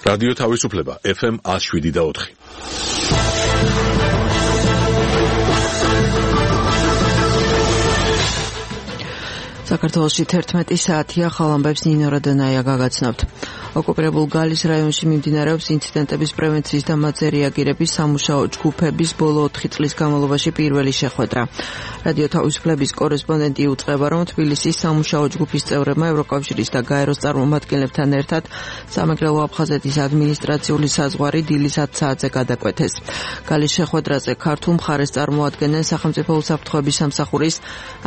რადიო თავისუფლება FM 107.4. საქართველოში 11 საათია, ხალამბებს ნინო რადონაია გაგაცნობთ. ოკუპირებულ გალის რაიონში მიმდინარეობს ინციდენტების პრევენციის და მათზე რეაგირების სამუშაო ჯგუფების ბოლო 4 წლის განმავლობაში პირველი შეხვედრა. რადიო თავისუფლების კორესპონდენტი უწყება, რომ თბილისის სამუშაო ჯგუფის წევრებმა ევროკავშირის და გაეროს წარმომადგენლებთან ერთად სამეგრელო აფხაზეთის ადმინისტრაციული საზღვარი დილის 10 საათზე გადაკვეთეს. გალის შეხვედრაზე ქართულ მხარეს წარმოადგენენ სახელმწიფო უსაფრთხოების სამსახურის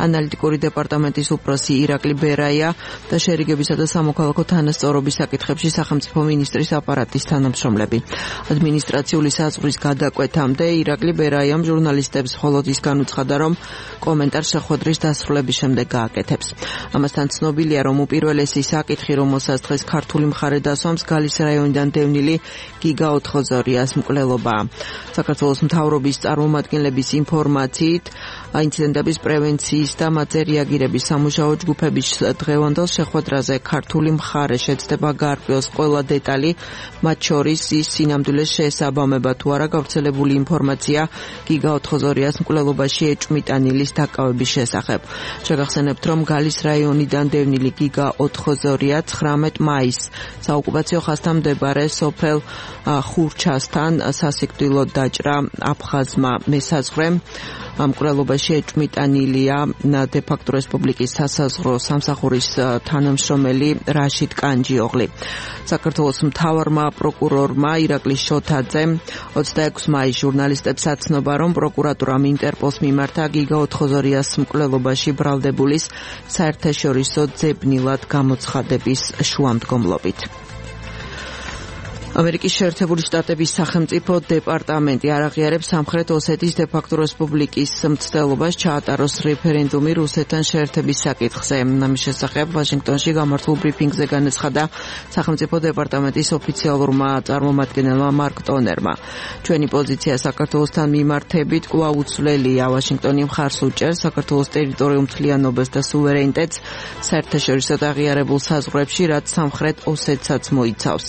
ანალიტიკური დეპარტამენტის უფროსი ირაკლი ბერაია და შერიგებისა და სამოქალაქო თანასწორობის საკითხებში სახელმწიფო მინისტრის აპარატის თანამშრომლები. ადმინისტრაციული საზღვრის გადაკვეთამდე ირაკლი ბერაიამ ჟურნალისტებს მხოლოდ ის განუცხადა, რომ კომენტარს შეხვედრის დასრულების შემდეგ გააკეთებს. ამასთან ცნობილია, რომ უპირველესი საკითხი, რომელსაც დღეს ქართული მხარე დასვამს, გალის რაიონიდან დევნილი გიგა ოთხოზორიას მკვლელობაა. საქართველოს მთავრობის წარმომადგენლების ინფორმაციით, ინციდენტების პრევენციის და მათზე რეაგირების სამუშაო ჯგუფების დღევანდელ შეხვედრაზე ქართული მხარე შეცდება გაარკვიოს ყველა დეტალი, მათ შორის ის სინამდვილეს შეესაბამება თუ არა გავრცელებული ინფორმაცია გიგა ოთხოზორიას მკვლელობაში ეჭვმიტანილის დაკავების შესახებ. შეგახსენებთ, რომ გალის რაიონიდან დევნილი გიგა ოთხოზორია 19 მაისს საოკუპაციო ხაზთან მდებარე სოფელ ხურჩასთან სასიკვდილოდ დაჭრა აფხაზმა მესაზღვრემ. მკვლელობაში ეჭვმიტანილია დე-ფაქტო რესპუბლიკის სასაზღვრო სამსახურის თანამშრომელი რაშიდ კანჯიოღლი. საქართველოს მთავარმა პროკურორმა ირაკლი შოთაძემ 26 მაისს ჟურნალისტებს აცნობა, რომ პროკურატურამ ინტერპოლს მიმართა გიგა ოთხოზორიას მკვლელობაში ბრალდებულის საერთაშორისო ძებნილად გამოცხადების შუამდგომლობით. ამერიკის შეერთებული შტატების სახელმწიფო დეპარტამენტი არ აღიარებს სამხრეთ ოსეთის დე-ფაქტო რესპუბლიკის მცდელობას ჩაატაროს რეფერენდუმი რუსეთთან შეერთების საკითხზე. ამის შესახებ ვაშინგტონში გამართულ ბრიფინგზე განაცხადა სახელმწიფო დეპარტამენტის ოფიციალურმა წარმომადგენელმა მარკ ტონერმა. ჩვენი პოზიცია საქართველოსთან მიმართებით კვლავ უცვლელია. ვაშინგტონი მხარს უჭერს საქართველოს ტერიტორიულ მთლიანობას და სუვერენიტეტს საერთაშორისო აღიარებულ საზღვრებში, რაც სამხრეთ ოსეთსაც მოიცავს.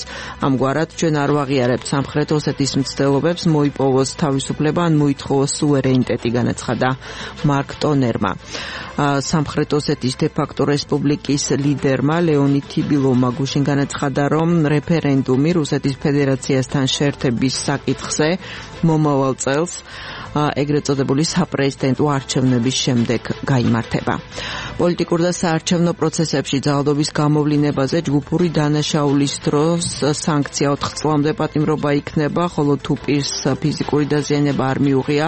ამგვარად ჩვენ არ ვაღიარებთ სამხრეთ ოსეთის მცდელობებს მოიპოვოს თავისუფლება ან მოითხოვოს სუვერენიტეტი, განაცხადა მარკ ტონერმა. სამხრეთ ოსეთის დე-ფაქტო რესპუბლიკის ლიდერმა ლეონიდ თიბილოვმა გუშინ განაცხადა, რომ რეფერენდუმი რუსეთის ფედერაციასთან შეერთების საკითხზე მომავალ წელს ეგრეთ წოდებული საპრეზიდენტო არჩევნების შემდეგ გაიმართება. პოლიტიკურ და საარჩევნო პროცესებში ძალადობის გამოვლინებაზე ჯგუფური დანაშაულის დროს სანქცია 4 წლამდე პატიმრობა იქნება, ხოლო თუ პირს ფიზიკური დაზიანება არ მიუღია,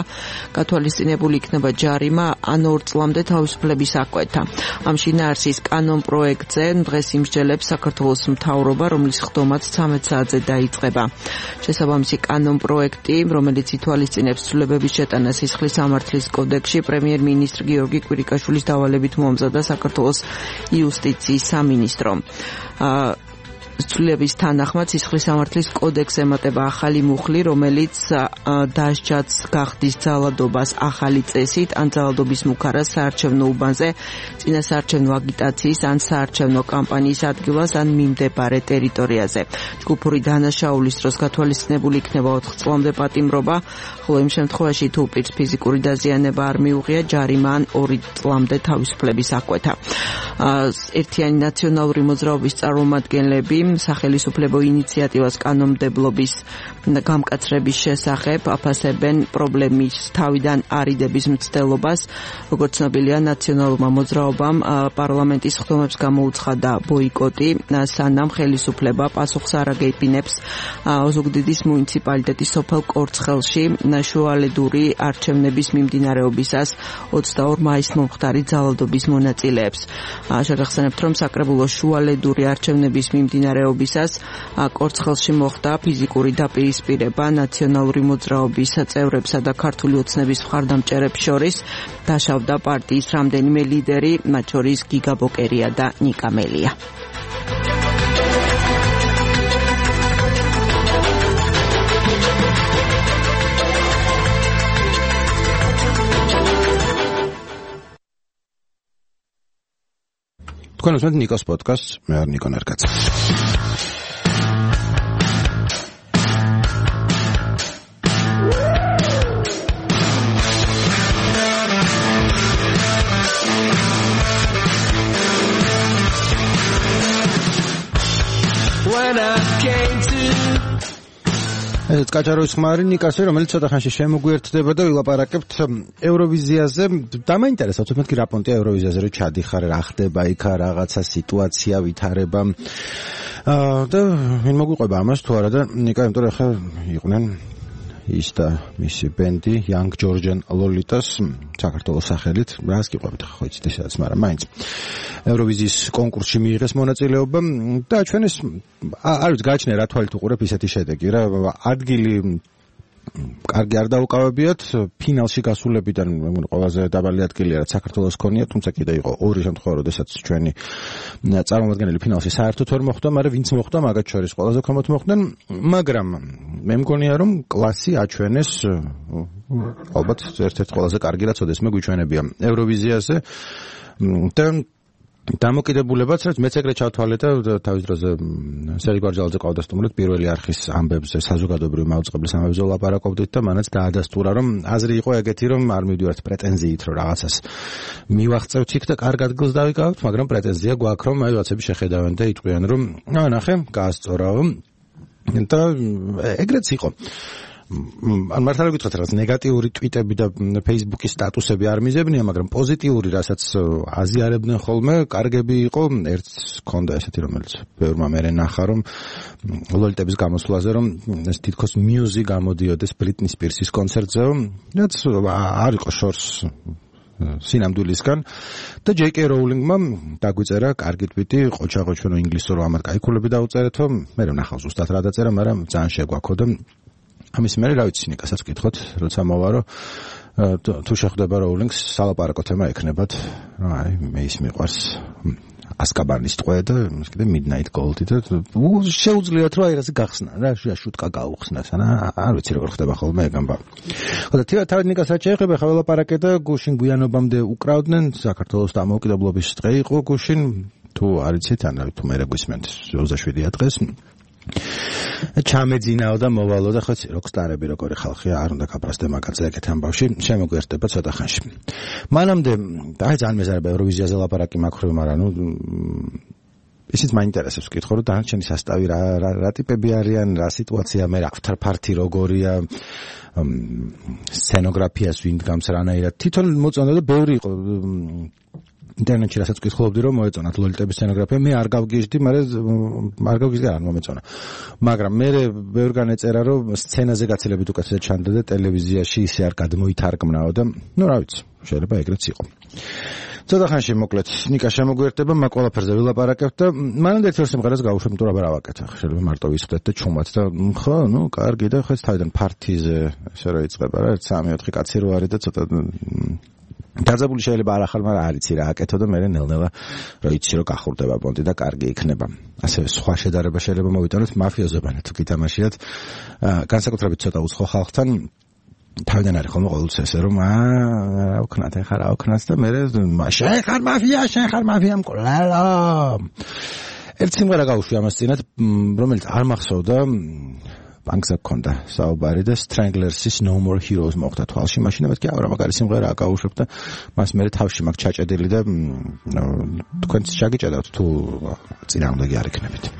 გათვალისწინებული იქნება ჯარიმა ან 2 წლამდე თავისუფლების აღკვეთა. ამ შინაარსის კანონ პროექტზე დღეს იმსჯელებს საქართველოს მთავრობა, რომლის ხდომაც 13 საათზე დაიწყება. შესაბამისი კანონ პროექტი, რომელიც ითვალისწინებს ცვლილებების შეტანა სისხლის სამართლის კოდექსში, პრემიერ-მინისტრ გიორგი კვირიკაშვილის დავალებით მოამზადა საქართველოს იუსტიციის სამინისტრომ. ცვლილების თანახმად სისხლის სამართლის კოდექსს ემატება ახალი მუხლი, რომელიც დასჯაც გახდის ძალადობას ახალი წესით ან ძალადობის მუქარას საარჩევნო უბანზე, წინასაარჩევნო აგიტაციის ან საარჩევნო კამპანიის ადგილას ან მიმდებარე ტერიტორიაზე. ჯგუფური დანაშაულის დროს გათვალისწინებული იქნება 4 წლამდე პატიმრობა, ხოლო იმ შემთხვევაში თუ პირს ფიზიკური დაზიანება არ მიუღია, ჯარიმა ან 2 წლამდე თავისუფლების აღკვეთა. ერთიანი ნაციონალური მოძრაობის წარმომადგენლები სახელისუფლებო ინიციატივას კანონმდებლობის გამკაცრების შესახებ აფასებენ პრობლემის თავიდან არიდების მცდელობას. როგორც ცნობილია, ნაციონალურმა მოძრაობამ პარლამენტის ხდომებს გამოუცხადა ბოიკოტი, სანამ ხელისუფლება პასუხს არ აგეიფინებს ოზუგდიდის მუნიციპალიტეტის სოფელ კორცხელში შუალედური არჩევნების მიმდინარეობისას 22 მაისს მომხდარი ძალადობის მონაწილეებს. შეგახსენებთ, რომ საკრებულოს შუალედური არჩევნების მიმდინარეობისას კორცხელში მოხდა ფიზიკური დაპირისპირება ნაციონალური მოძრაობის წევრებსა და ქართული ოცნების მხარდამჭერებს შორის. დაშავდა პარტიის რამდენიმე ლიდერი, მათ შორის გიგა ბოკერია და ნიკა მელია. თქვენ უსმენთ ნიკოს პოდკასტს, მე ვარ ნიკო ნარკაძე. ეს კაჭარო ხმარი ნიკასე, რომელიც ცოტა ხანში შემოგვიერთდება და ვილაპარაკებთ ევროვიზიაზე. დამაინტერესებთ მეთქი რა პონტია ევროვიზიაზე, რომ ჩადიხარ, რა ხდება იქ, რაღაცა სიტუაცია ვითარება. და ვინ მოგვიყვება ამას თუ არა და ნიკა, იმიტომ რომ ახლა იყვნენ ის და მისი ბენდი Young Georgian Lolitas საქართველოს სახელით. რას გიყვებით ხო იცით ესაც, მაგრამ მაინც ევროვიზიის კონკურსში მიიღეს მონაწილეობა და ჩვენეს არ ვიცი გააჩნია რა თვალით უყურებ ისეთი შედეგი რა ადგილი კარგი არ დაუკავებიათ ფინალში გასულებიდან ყველაზე დაბალი ადგილია რაც საქართველოს ქონია თუმცა კიდე იყო ორი შემთხვევა როდესაც ჩვენი წარმომადგენელი ფინალში საერთოდ ვერ მოხვდა მაგრამ ვინც მოხვდა მაგათ შორის ყველაზე ქვემოთ მოხვდნენ მაგრამ მე მგონია რომ კლასი აჩვენეს ალბათ ერთ-ერთ ყველაზე კარგი რაც ოდესმე გვიჩვენებია ევროვიზიაზე და დამოკიდებულებაც რაც მეც ეგრე ჩავთვალე და თავის დროზე სერგი გვარჯალაძე ყავდა სტუმრად პირველი არხის ამბებზე საზოგადოებრივი მაუწყებლის ამბებზე ლაპარაკობდით და მანაც დაადასტურა რომ აზრი იყო ეგეთი რომ არ მივდივართ პრეტენზიით რომ რაღაცას მივაღწევთ იქ და კარგ ადგილს დავიკავებთ მაგრამ პრეტენზია გვაქვს რომ აი რაღაცები შეხედავენ და იტყვიან რომ ნახე გაასწორაო და ეგრეც იყო ან მართლა გითხრათ რაღაც ნეგატიური ტვიტები და Facebook-ის სტატუსები არ მიზებნია, მაგრამ პოზიტიური, რასაც აზიარებდნენ ხოლმე, კარგები იყო, ერთს ქონდა ესეთი, რომელიც ბევრმა მერე ნახა, რომ ლოლიტების გამოსვლაზე, რომ ეს თითქოს მიუზი გამოდიოდეს Britney Spears-ის კონცერტზე, რაც არ იყო შორს სინამდვილისგან და JK Rowling-მა დაგვიწერა კარგი ტვიტი, ყოჩაღო ჩვენ ინგლისურ ამად кайქულები დაუწერეთო, მე ვნახავ ზუსტად რა დაწერა, მაგრამ ძალიან შეგვაქო და ამის მერე რა ვიცი ნიკასაც ვკითხოთ, როცა მოვა რომ თუ შეხვდება Rowling-ს სალაპარაკო თემა ექნებათ, რა აი მე ის მიყვარს ასკაბანის ტყვე და კიდე Midnight Gold და შეუძლიათ რომ აი რაზე გახსნა რა შუტკა გაუხსნას ანა არ ვიცი როგორ ხდება ხოლმე ეგ ამბავი. ხო და თავად ნიკას რაც შეეხება ხა ველაპარაკე და გუშინ გვიანობამდე უკრავდნენ საქართველოს დამოუკიდებლობის დღე იყო გუშინ თუ არ იცით ან თუ მე გვისმენთ 27 დღეს ჩამეძინაო და მოვალო და ხო როკსტარები როგორი ხალხია არ უნდა გაფრასდე მაგაზე ეგეთ ამბავში შემოგვიერთდება ცოტა ხანში. მანამდე აი ძალიან მეზარება ევროვიზიაზე ლაპარაკი მაქვს მაგრამ ნუ ისიც მაინტერესებს ვკითხო რომ დანარჩენი სასტავი რა ტიპები არიან რა სიტუაცია მე რა after party როგორია სცენოგრაფიას ვინ დგამს რანაირად თვითონ მოწონდა და ბევრი იყო ინტერნეტში რასაც ვკითხულობდი რომ მოეწონათ ლოლიტების სცენოგრაფია მე არ გავგიჟდი მაგრამ არ გავგიჟდი არ მომეწონა მაგრამ მე ბევრგან ეწერა რომ სცენაზე გაცილებით უკეთესად ჩანდა და ტელევიზიაში ისე არ გადმოითარგმნაო და ნუ რა ვიცი შეიძლება ეგრეც იყო ცოტა ხანში მოკლედ ნიკა შემოგვიერთდება მაგ ყველაფერზე ვილაპარაკებთ და მანამდე ერთ სიმღერას გავუშვებ იმიტომ რომ რა ვაკეთე შეიძლება მარტო ვისხდეთ და ჩუმად და ხო ნუ კარგი და ხო ეს თავიდან პარტიზე ესე რა იწყება რა 3-4 კაცი რო არის და ცოტა დაძაბული შეიძლება არ ახალ მაგრამ არ იცი რა აკეთო და მე ნელ-ნელა რა იცი რომ გახურდება პონტი და კარგი იქნება ასე სხვა შედარება შეიძლება მოვიტანოთ მაფიოზებანი თუ გითამაშიათ განსაკუთრებით ცოტა უცხო ხალხთან თავიდან არის ხოლმე ყოველთვის ესე რომ რა ვქნათ ეხა რა ვქნათ და მე შენ ხარ მაფია მკვლელო ერთ სიმღერა გავუშვი ამას წინათ რომელიც არ მახსოვდა ბანკზე გქონდა საუბარი და Stranglers-ის No More Heroes მოხდა თვალში მაშინ მეთქი არა მაგარი სიმღერა აკაუშვებ და მას მე თავში მაქვს ჩაჭედილი და თქვენც შეგიჭედავთ თუ წინააღმდეგი არ იქნებით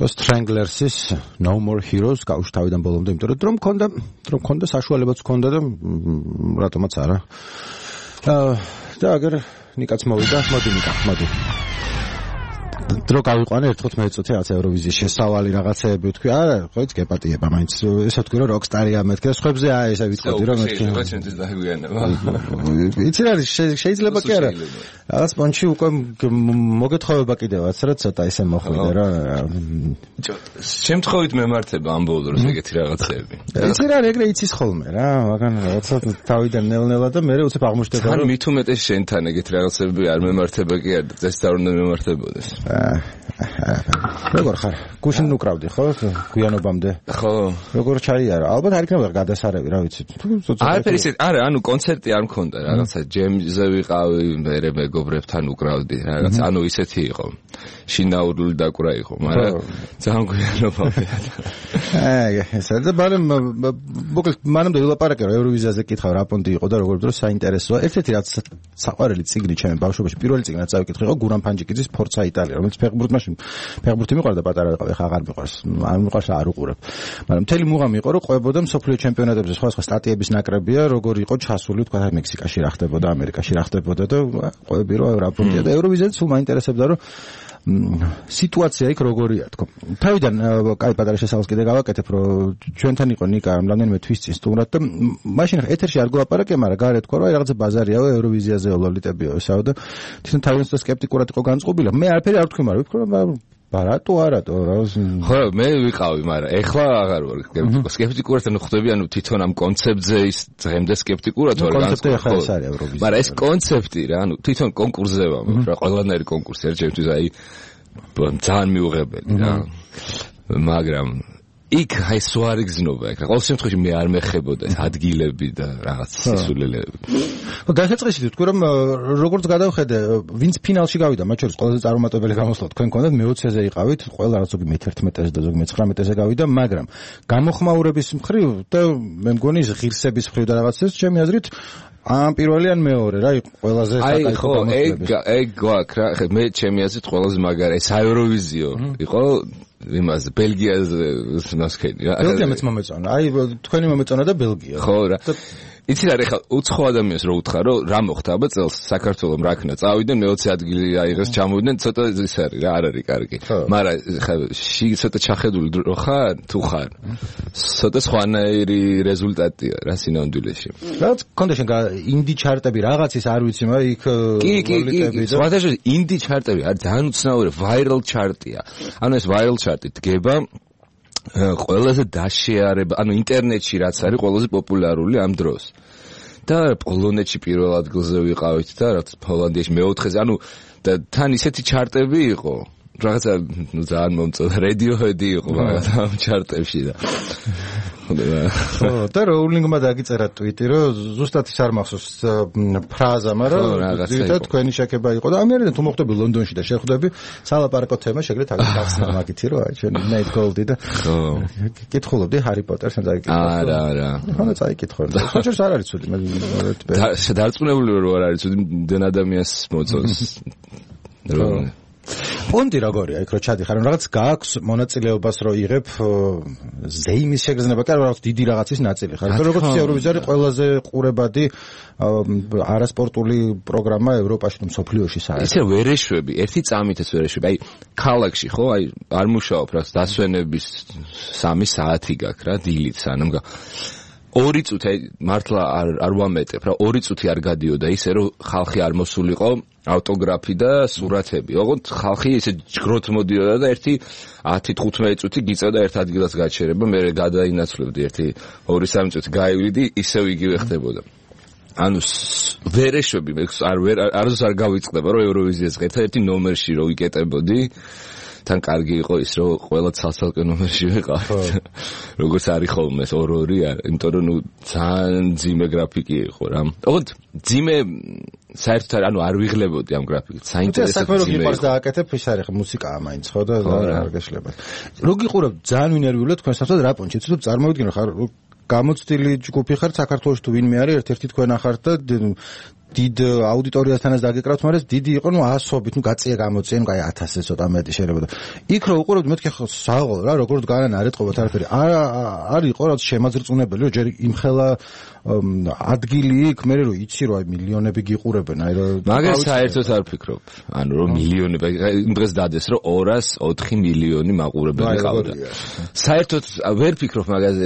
Stranglers-ის No More Heroes გავუშვი თავიდან ბოლომდე, იმიტომ რომ მქონდა საშუალებაც მქონდა და რატომაც არა. და აგერ ნიკაც მოვიდა, მოდი. დრო გავიყვანე 15 წუთი რაღაც ევროვიზიის შესავალი რაღაცეები ვთქვი, არა, ხოიც გეპატიება მაინც. ესა ვთქვი რომ როკსტარია მეთქე, სხვებზე ესა ვიტყოდი რომ მეთქე. იცი რა შეიძლება კი არა. რაღაც პონჩი უკვე მოგეთხოვება კიდევაც რა ცოტა ისე მოხვიდე რა. შემთხვევით მემართება ამ ბოლო დროს ეგეთი რაღაცეები. იცი რა ეგრე იცის ხოლმე რა, მაგან რაღაცა თავიდან ნელ-ნელა და მე უცებ აღმოჩნდება რომ მით უმეტეს შენთან ეგეთი რაღაცეები არ მემართება კი არა, წეს არ უნდა მემართებოდეს. როგორ ხარ? გუშინ უკრავდი ხო? გვიანობამდე. ხო. როგორ ჩაიარა? ალბათ არ იქნება გადასარევი, რა ვიცი. არაფერი ისე, არა, ანუ კონცერტი არ მქონდა, რაღაცა ჯემზე ვიყავი, მე მეგობრებთან უკრავდი, რაღაც, ანუ ისეთი იყო. შინაურული დაკვრა იყო, მაგრამ ძალიან გვიანობამდე. ესა და მოკლედ მანამდე ვილაპარაკე რომ ევროვიზიაზე კითხავ რა პონტი იყო და როგორ დროს საინტერესოა. ერთ-ერთი რაც საყვარელი წიგნი ჩემი ბავშვობაში, პირველი წიგნი რაც წავიკითხე იყო გურამ ფანჯიკიძის ფორცა იტალია, რომელიც ფეხბურთი მიყვარდა პატარა ვიყავი, ხა აღარ მიყვარს. არ მიყვარს არ უყურებ. მაგრამ მთელი მუღამი იყო რომ ყვებოდა მსოფლიო ჩემპიონატებზე სხვა სტატიების ნაკრებია, როგორ იყო ჩასული თქვა მექსიკაში რა ხდებოდა, ამერიკაში რა ხდებოდა და ყვები რომ რა პონტია და ევროვიზიაზე სულ მაინტერესებდა რომ სიტუაცია იქ როგორია თქო. თავიდან კაი პატარა შესავალს კიდე გავაკეთებ რომ ჩვენთან იყო ნიკა რამდენიმე თვის წინ სტუმრად და მაშინ ეთერში არ გვაპარაკე, მაგრამ გარეთ თქვა რომ რაღაცა ბაზარიაო ევროვიზიაზე ლოლიტებიო ესაო და თვითონ თავიდან სკეპტიკურად იყო განწყობილი. მე არაფერი არ ვთქვი, მაგრამ ვფიქრე რომ ბარატო რა ხო მე ვიყავი, მაგრამ ეხლა აღარ ვარ სკეპტიკურად ანუ ხვდები, ანუ თვითონ ამ კონცეფტზე ის დღემდე სკეპტიკურად ვარ განწყობილი. მაგრამ ეს კონცეფტი რა, ანუ თვითონ კონკურსზე ვარ, რა ყველანაირი კონკურსი არ ჩემთვის აი ძალიან მიუღებელი რა. მაგრამ იქ აი სვარი გზნობა, იქ ყოველ შემთხვევაში მე არ მეხებოდა ეს ადგილები და რაღაც სისულელეები. დასაწყისით ვთქვი რომ როგორც გადავხედე, ვინც ფინალში გავიდა, მათ შორის ყველაზე წარუმატებელი გამოსვლა თქვენ გქონდათ, მე-20-ზე იყავით, ყველა რაღაც ზოგი მე-11-ზე და ზოგი მე-19-ზე გავიდა, მაგრამ გამოხმაურების მხრივ და მე მგონი ღირსების მხრივ და რაღაცას ჩემი აზრით ამ პირველი ან მეორე რა იყო ყველაზე საკაიფო გამოსვლები. ეგ გვაქვს რა, მე ჩემი აზრით ყველაზე მაგარი საევროვიზიო იყო იმაზე ბელგიაზე მასკენი რა. ბელგიამაც მომეწონა. აი თქვენი მომეწონა და ბელგია. ხო რა. იცი რა, ეხლა უცხო ადამიანს რო უთხრა რომ რა მოხდა აბა წელს საქართველოს რაკნა წავიდნენ მე-20 ადგილი აიღეს ჩამოვიდნენ, ცოტა ის არის რა, არ არის კარგი. მაგრამ ეხლა ცოტა ჩახედული რო ხარ თუ ხარ ცოტა სხვანაირი რეზულტატია რა სინამდვილეში. რაც კონდა შენ ინდი ჩარტები რაღაცის არ ვიცი, მაგრამ იქ კი სხვადასხვა ინდი ჩარტები არის ძალიან უცნაური ვაირალ ჩარტია. ანუ ეს ვაირალ ჩარტი დგება ყველაზე დაშეარება, ანუ ინტერნეტში რაც არის ყველაზე პოპულარული ამ დროს. და პოლონეთში პირველ ადგილზე ვიყავით და რაც ჰოლანდიაში მე-4-ზე, ანუ და თან ისეთი ჩარტები იყო, რაღაცა ძალიან მომწონდა, Radiohead-ი იყო რაღაც ამ ჩარტებში და და როულინგმა დაგიწერა ტვიტი, რომ ზუსტად ის არ მახსოვს ფრაზა, მაგრამ ზუსტად თქვენი შეკება იყო და ამერიდან თუ მოხვდები ლონდონში და შეხვდები სალაპარაკო თემა შეგრეთ აგეთ ახსნა მაგითი რომ აი ჩვენ Night Gold-ი და კითხულობდი Harry Potter-ს და არა ხანდა წაიკითხულობდი. საჭირს არ არის ცუდი, მე დარწმუნებული ვარ რომ არ არის ცუდი, დენ ადამიანს მოწონს. პონტი როგორია იქ რო ჩადიხარ, რაღაც გააქვს მონაწილეობას რო იღებ ზეიმის შეგრძნება, კი არა რაღაც დიდი რაღაცის ნაწილი ხარ. როგორც ევროვიზია ყველაზე ყურებადი არასპორტული პროგრამა ევროპაში და მსოფლიოში საერთოდ. ისე ვერეშვები, ერთი წამით ეს ვერეშვები. აი ქალაქში ხო, აი არ მუშაობ რა, დასვენების 3 საათი გაქვს რა, დილით სანამ 2 წუთი მართლა არ ვამეტებ რა, 2 წუთი არ გადიოდა ისე რომ ხალხი არ მოსულიყო ავტოგრაფი და სურათები. ოღონდ ხალხი ისე ჯგროთ მოდიოდა და ერთი 10-15 წუთი გიწევდა ერთ ადგილას გაჩერება, მე გადაინაცვლებდი ერთი 2-3 წუთი გაივლიდი, ისევ იგივე ხდებოდა. ანუ ვერეშვები მე არც არ გავიწყდება რომ ევროვიზიას ღირთა ერთი ნომერში რო ვიკეტებოდი. თან კარგი იყო ის რომ ყველა ცალ-ცალკე ნომერში ვიყავით. როგორც არის ხოლმე 2-2 არ, იმიტომ რომ ნუ ძალიან ძიმე გრაფიკი იყო რა. ოღონდ ძიმე საერთოდ ანუ არ ვიღლებოდი ამ გრაფიკით. საინტერესო ძიმე იყო. დააკეთებ ის არის მუსიკაა მაინც ხო და არ გეშლება. რო გიყურებ ძალიან ვინერვიულად თქვენ საერთოდ რა პონჩი, ცუდ წარმოვიდგინე ხარ გამოცდილი ჯგუფი ხარ საქართველოში თუ ვინმე არის ერთ-ერთი თქვენ ახართ და დიდ აუდიტორიასთანაც დაგეკრავთ, მაგრამ დიდი იყო, ასობით, გაწია გამოწია, აი 1000-ზე ცოტა მეტი შეიძლება. იქ რო უყურებთ, მეთქი ხო საღოლ რა, როგორ განან არ ეტყობათ არაფერი. არ იყო რაც შემაძრწუნებელი, რომ ჯერ იმხელა ადგილი იქ, მე რო იცი რომ აი მილიონები გიყურებენ, აი რომ მაგას საერთოდ არ ფიქრობ. ანუ რომ მილიონები, იმ დღეს დადეს რომ 204 მილიონი მაყურებელი ყავდა. საერთოდ ვერ ფიქრობ მაგაზე,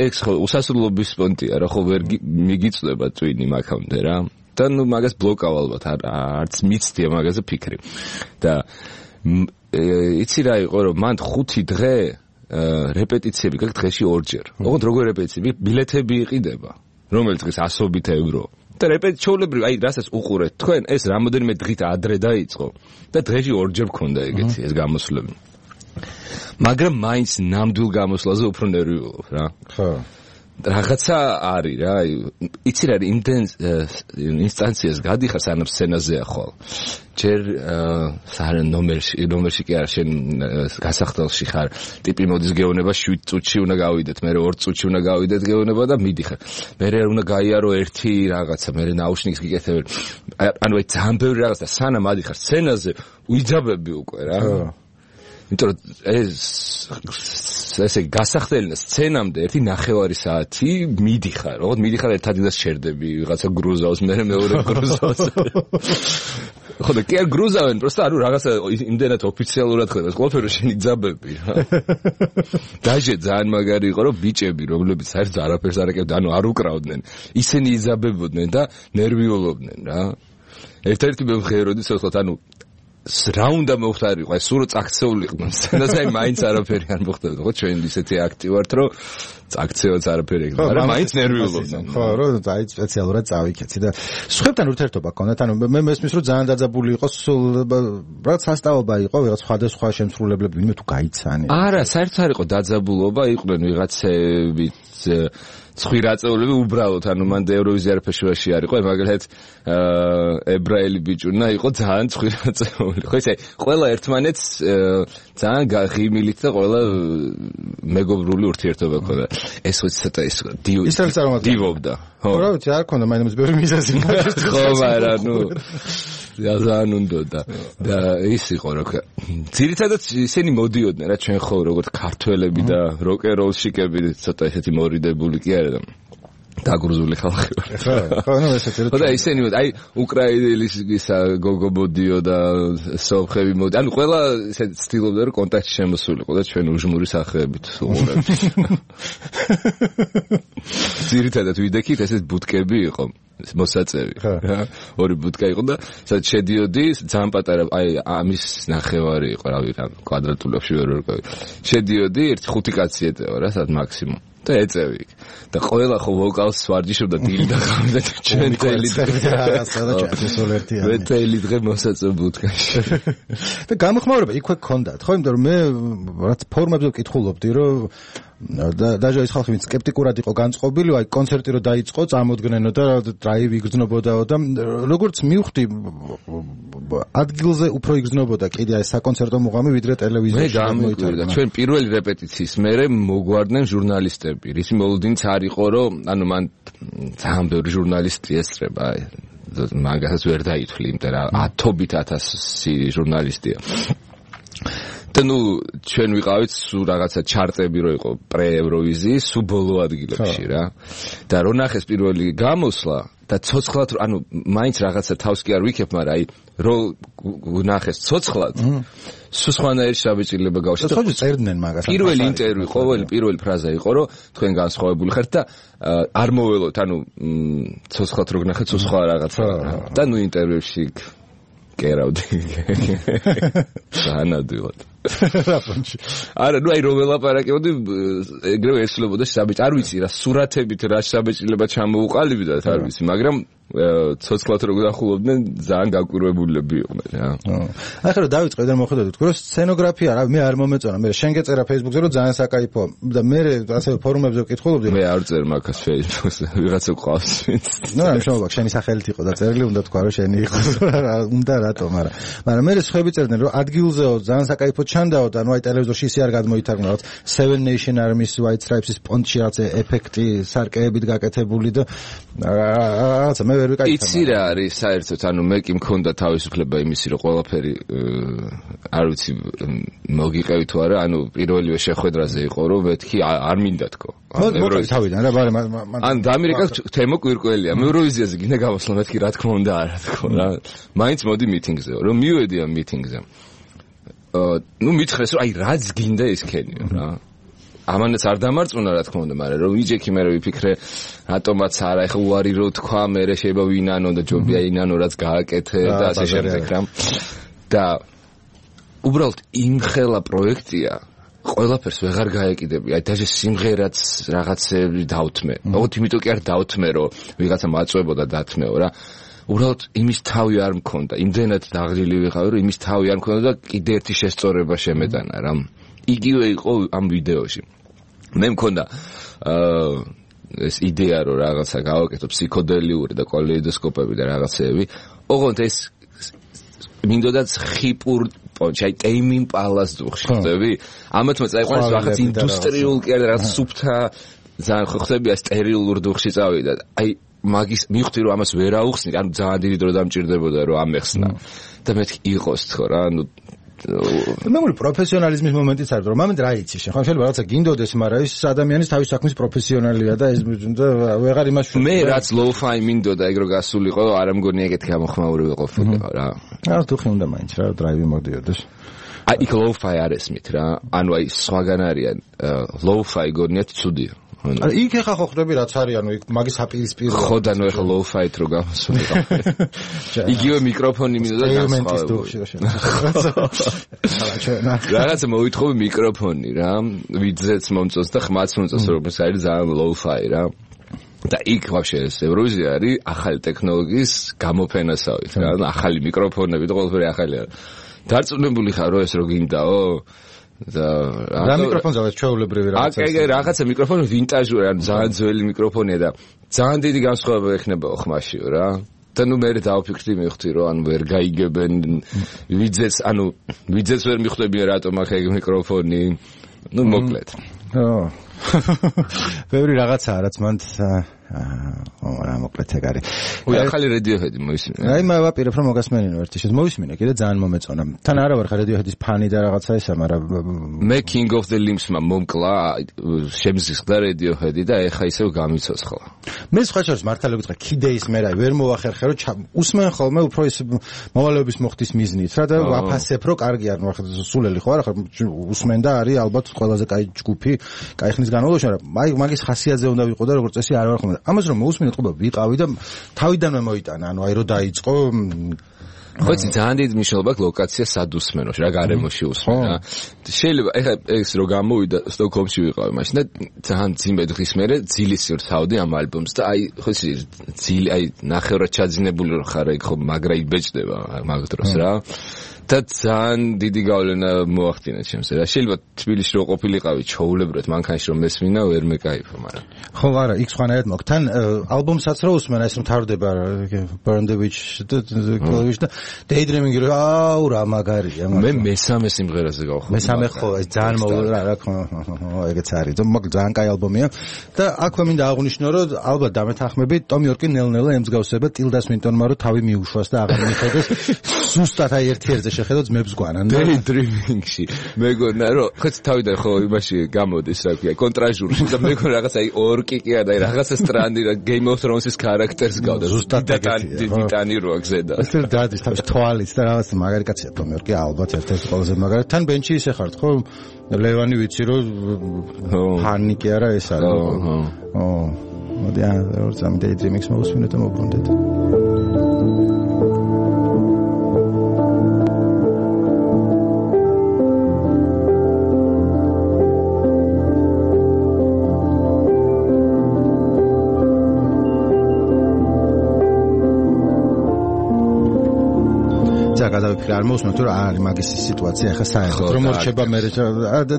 ეს ხო უსასრულობის პონტია რა, ხო ვერ მიგიწდება ტვინი მაგამდე რა. და ნუ მაგას ბლოკავ ალბათ, არც მიცდია მაგაზე ფიქრი. და იცი რა იყო რომ მან 5 დღე რეპეტიციები გაქვს დღეში 2 ჯერ. ოღონდ როგორ რეპეტიციები? ბილეთები იყიდება. რომელიც დღეს 100 ევრო. და რეპეტიციებრივ, აი რასაც უყურეთ თქვენ, ეს რამოდენიმე დღით ადრე დაიწყო და დღეში 2 ჯერ მქონდა ეგეთი ეს გამოსვლები. მაგრამ მაინც ნამდვილ გამოსვლაზე უფრო ნერვიულობ რა. ხო. რაღაცა არის რა, იცი რა, ინსტანციას გადიხარ სანამ სცენაზეა ხვალ. ჯერ ნომერში კი არა, შენ გასახდელში ხარ, ტიპი მოდის გეოვნება 7 წუთში უნდა გავიდეთ, მე 2 წუთში უნდა გავიდეთ გეოვნება და მიდიხარ. მე უნდა გაიარო ერთი რაღაცა, მე ნაუშნიკს გიკეთებ. ანუ აი ძალიან ბევრი რაღაცა, სანამ ადიხარ სცენაზე, უიძაბები უკვე რა. იმიტომ რომ ესე გასახდელინა სცენამდე 1.5 საათი მიდიხარ, ოღონდ მიდიხარ ერთ ადგილას შერდები, ვიღაცა გრუზავს, მე მეორე გრუზავს. ხო და კი არ გრუზავენ, просто ანუ რაღაცა იმდენად ოფიციალურად ხდება, ყველაფერი შენი ძაბები რა. დაჟე ძალიან მაგარი იყო, რომ ბიჭები, რომლებიც საერთოდ არაფერს არ აკეთებდნენ, ანუ არ უკრავდნენ, ისინი იძაბებოდნენ და ნერვიულობდნენ რა. ერთ-ერთი მეხეროდი სულ ანუ რა უნდა მოხდარიყო, აი სულ წაქცეულიყო სცენაზე, მაინც არაფერი არ მოხდებოდა, ხო ჩვენ ისეთი აქტი ვართ, რომ წაქცევაც არაფერი ეგ, მაგრამ მაინც ნერვიულობდნენ. ხო, რომ აი სპეციალურად წავიქეცი და სხვებთან ურთიერთობა გქონდათ, ანუ მე მესმის რომ ძალიან დაძაბული იყო, სულ რაღაც სასტაობა იყო, ვიღაც სხვადასხვა შემსრულებლები, ვინმე თუ გაიცანი. არა, საერთოდ არ იყო დაძაბულობა, იყვნენ ვიღაცები ცხვირაწეულები უბრალოდ, ანუ მან ევროვიზია ფესტივალში არ იყო, მაგალითად ებრაელი ბიჭუნა იყო ძალიან ცხვირაწეული. ხო ისე ყველა ერთმანეთს ძალიან ღიმილით და ყველა მეგობრული ურთიერთობა ჰქონდა. ეს ვიცი ცოტა ის დივობდა. ხო, რა ვიცი, არ ქონდა მაინც ბევრი მიზეზი. ხო, მაგრამ ნუ ძალიან უნდა და ის იყო რა. ძირითადად ისინი მოდიოდნენ რა, ჩვენ ხო როგორც ქართველები და როკ-ენ-როლშიკები ცოტა ესეთი მორიდებული კი არა და დაგრუზული ხალხი ვარ. ხო, ნუ ესეთი რა. ხო და ისინი აი უკრაინელის ისა გოგო მოდიო და სოფხები მოდი. ანუ ყველა ესე ცდილობდა რომ კონტაქტი შემოსულიყო და ჩვენ უჟმური სახეებით უყურებთ. ძირითადად ვიდექით ესეთ ბუტკები იყო. მოსაწევი რა, ორი ბუტკა იყო და სადაც შედიოდი, ძალიან პატარა, აი ამის ნახევარი იყო, რავი, რა კვადრატულებში ვერ ვერკავი. შედიოდი 1-5 კაცი ეტევა რა, სადაც მაქსიმუმ. და ეწევი იქ. და ყველა ხო ვოკალს ვარჯიშობდა დილი და ღამე და ჩვენ თელი დღე თელი დღე მოსაწევ ბუტკაში. და გამოხმაურება იქვე გქონდათ, ხო, იმიტომ რომ მე რაც ფორმებზე ვკითხულობდი, რომ დაჟე ის ხალხი ვინც სკეპტიკურად იყო განწყობილი, აი კონცერტი რო დაიწყო, წამოდგნენო და დრაივი იგრძნობოდაო და როგორც მივხვდი, ადგილზე უფრო იგრძნობოდა კიდე აი საკონცერტო მუღამი ვიდრე ტელევიზიაში. მე გამოიტანე ჩვენ პირველი რეპეტიციის მერე მოგვარდნენ ჟურნალისტები. ისი მოლოდინიც არ იყო, რომ ანუ მან ძალიან ბევრი ჟურნალისტი ესწრება, აი მაგასაც ვერ დაითვლი, იმიტომ რომ 1000 ჟურნალისტია. და ნუ ჩვენ ვიყავით სულ რაღაცა ჩარტები რო იყო პრე-ევროვიზიის სულ ბოლო ადგილებში რა. და რო ნახეს პირველი გამოსვლა და ცოცხლად ანუ მაინც რაღაცა თავს კი არ ვიქებ, მაგრამ აი რო ნახეს ცოცხლად სულ სხვანაირი შაბეჭდილება გავშვა. ხო, წერდნენ მაგას. პირველი ინტერვიუ, პირველი ფრაზა იყო, რომ თქვენ განსხვავებული ხართ და არ მოველოთ, ანუ ცოცხლად რო გნახეთ სულ სხვა რაღაცა. და ნუ ინტერვიუში კერავდი. განადვილად. არა, ნუ აი რომ ველაპარაკებოდი, ეგრევე ესლებოდა საბეჭ, არ ვიცი რა სურათებით რა საბეჭდილება ჩამოუყალიბდათ, არ ვიცი, მაგრამ ცოცხლად რო გახულობდნენ, ძალიან გაკვირვებულები იყვნენ რა. ახლა რომ დავიწყე და მოხდეთ თქო, რომ სცენოგრაფია რა, მე არ მომეწონა, მე შენ გეწერა Facebook-ზე, რომ ძალიან საკაიფო და მე ასე ფორუმებზე ვკითხულობდი. მე არ წერ მაგას Facebook-ზე, ვიღაცა ყავს ვინც. ნუ რა მშობა, შენი სახელით იყო და წერილი უნდა თქვა, რომ შენი იყო, რა უნდა რატო, მაგრამ მე სხვები წერდნენ, რომ ადგილზეო ძალიან საკაიფო ჩანდაო და ნუ აი ტელევიზორში ისე არ გადმოითარგმნა, რომ Seven Nation Army-ის White Stripes-ის პონტში რაღაც ეფექტი სარკეებით გაკეთებული და რაღაცა მე ვერ ვიკაი. იცი რა არის საერთოდ, ანუ მე კი მქონდა თავისუფლება იმისი, რომ ყველაფერი არ ვიცი მოგიყევი თუ არა, ანუ პირველივე შეხვედრაზე იყო, რომ მეთქი არ მინდა თქო. თავიდან რა ბარე ან დამირეკავ თემო კვირკველია. მე ევროვიზიაზე გინდა გამოსვლა, მეთქი რა თქმა უნდა არა თქო რა. მაინც მოდი მიტინგზე, რომ მივედი ამ მიტინგზე. ნუ მითხრეს რომ აი რაც გინდა ის ქენიო რა. ამანაც არ დამარწმუნა რა თქმა უნდა, მაგრამ რომ ვიჯექი მე ვიფიქრე რატომაც არა, ეხლა უარი რო თქვა, მე შეიძლება ვინანო და ჯობია ინანო რაც გააკეთე და ასე შემდეგ რა. და უბრალოდ იმხელა პროექტია, ყველაფერს ვეღარ გაეკიდები. აი დაჟე სიმღერაც რაღაცები დავთმე. ოღონდ იმიტომ კი არ დავთმე, რომ ვიღაცა მაწვებოდა დათმეო რა. უბრალოდ იმის თავი არ მქონდა. იმდენად დაღლილი ვიყავი, რომ იმის თავი არ მქონდა და კიდე ერთი შესწორება შემეტანა რა. იგივე იყო ამ ვიდეოში. მე მქონდა ეს იდეა რომ რაღაცა გავაკეთო ფსიქოდელიური და კალეიდოსკოპები და რაღაცეები. ოღონდ ეს მინდოდაც ხიპურ პონჩი, აი ტეიმინ პალას დუხში ხდები. ამათ მოწაიყვანეს რაღაც ინდუსტრიულ კი არა რაღაც სუფთა ძალიან ხო ხდები ეს სტერილურ დუხში წავიდა. აი მაგის მივხვდი რომ ამას ვერ აუხსნი, ანუ ძალიან დიდი დრო დამჭირდებოდა რომ ამეხსნა. და მეთქი იყოს თქო რა, ანუ მე მგონი პროფესიონალიზმის მომენტიც არის, რომ მომენტ რა იცი შენ, ხო შეიძლება რაღაცა გინდოდეს, მაგრამ ის ადამიანის თავის საქმის პროფესიონალია და ეს ვეღარ იმას მე რაც low-fi მინდოდა ეგ რო გასულიყო, არ მგონი ეგეთი გამოხმაური ვიყოლიყო რა. რა თუ ხინდა მაინც რა დრაივი მოდიოდეს. აი იქ low-fi არ ესმით რა. ანუ აი სხვაგან არიან low-fi გონიათ ცუდია. ანუ იქ ეხა ხო ხდები რაც არის, ანუ იქ მაგის აპირისპირო. ხო და ნუ ეხა low-fi-თ რო გამოსულიყო. იგივე მიკროფონი მინდოდა რაღაცა მოვითხოვე მიკროფონი რა, ვიძეც მომწონს და ხმაც მომწონს, რომ ეს არის ძალიან low-fi რა. და იქ ვაფშე ეს ევროვიზია არის ახალი ტექნოლოგიის გამოფენასავით რა, ახალი მიკროფონები და ყველაფერი ახალია. დარწმუნებული ხარ რომ ეს რო გინდაო? და მიკროფონზე ჩვეულებრივი რაღაცა. აკ რაღაცა მიკროფონი ვინტაჟური, ანუ ძალიან ძველი მიკროფონია და ძალიან დიდი განსხვავება ექნებაო ხმაშიო რა. და ნუ მე დავფიქრდი, მივხვდი რომ ანუ ვერ გაიგებენ ვიძეც ვერ მიხვდებიან რატომ აქ ეგ მიკროფონი. ნუ მოკლედ. ბევრი რაღაცაა რაც მანდ რა მოკლედ ეგ არის. ახალი Radiohead-ი მოისმინე. აი მე ვაპირებ რომ მოგასმენინო ერთი შეს მოისმინე კიდე ძალიან მომეწონა. თან არა ვარ ხარ Radiohead-ის ფანი და რაღაცა ისა, მაგრამ მე King of the Limbs-მა მომკლა შემზისხდა Radiohead-ი და ეხა ისევ გამიცოცხლა. მე სხვა შორის მართალი გითხრა კიდეის მე რა ვერ მოვახერხე რომ უსმენ ხოლმე უფრო ის მოვალეობის მოხდის მიზნით რა და ვაფასებ რომ კარგი არ ნახე სულელი ხო არა ხარ უსმენ და არის ალბათ ყველაზე კაი ჯგუფი კაი ხნის განმავლობაში, მაგრამ მაგის ხასიათზე უნდა ვიყო და როგორც წესი არ ვარ ხოლმე. ამას რომ მოусმინე თქო ვიყავი და თავიდანვე მოიტანა, ანუ აი რომ დაიწყო ხო იცი ძალიან დიდი მნიშვნელობა აქვს ლოკაცია სად უსმენოში რა გარემოში უსმენ რა. შეიძლება ეხლა ეს რო გამოვიდა სტოკჰოლმში ვიყავი მაშინ და ძალიან ძიმე დღის მერე ძილის ვსავდი ამ ალბომს და აი ხო იცი ძილი აი ნახევრად ჩაძინებული რო ხარ ეგ ხო მაგრა იბეჭდება მაგ დროს რა. და ძალიან დიდი გავლენა მოახდინა ჩემს რა. შეიძლება თბილისში რო ყოფილიყავი ჩაულებრად მანქანაში რომ მესმინა ვერ მეკაიფო, მაგრამ ხო არა იქ სხვანაირად მოხ თან ალბომსაც რო უსმენ ეს მთავრდება Burn the Witch და Daydreaming რო აუ რა მაგარია. მე მესამე სიმღერაზე გავხდი. მესამე ხო ეს ძალიან რა ხო ეგეც არის. მაგრამ ძალიან კაი ალბომია და აქვე მინდა აღვნიშნო რომ ალბათ დამეთანხმებით Tom York-ი ნელ-ნელა ემსგავსება Tilda Swinton-მა რომ თავი მიუშვას და აღარ მიხედოს ზუსტად აი ერთ-ერთზე შეხედოთ ძმებს გვანან. Daydreaming-ში მეგონა რომ ხო თავიდან ხო იმაში გამოდის რა ქვია კონტრაჟურში და მეგონა რაღაც აი ორკიკია და აი რაღაცა სტრანდი რა Game of Thrones-ის ქარაქტერს გავდა. ზუსტად ტიტანი როა გზედა. ეს დადის თავის თვალით და რაღაც მაგარი კაცია Tom York-ი ალბათ ერთ-ერთი ყველაზე მაგარი. თან ბენჩი ისე ხართ ხო? ლევანი ვიცი რომ ფანი კი არა ეს არის. მოდი რა ზამ Daydreaming-ს მოვუსმინოთ და მოვბრუნდეთ. გადავიფიქრე არ მოვსმენთ რომ არის მაგის სიტუაცია ხა საერთოდ რომ მორჩება მე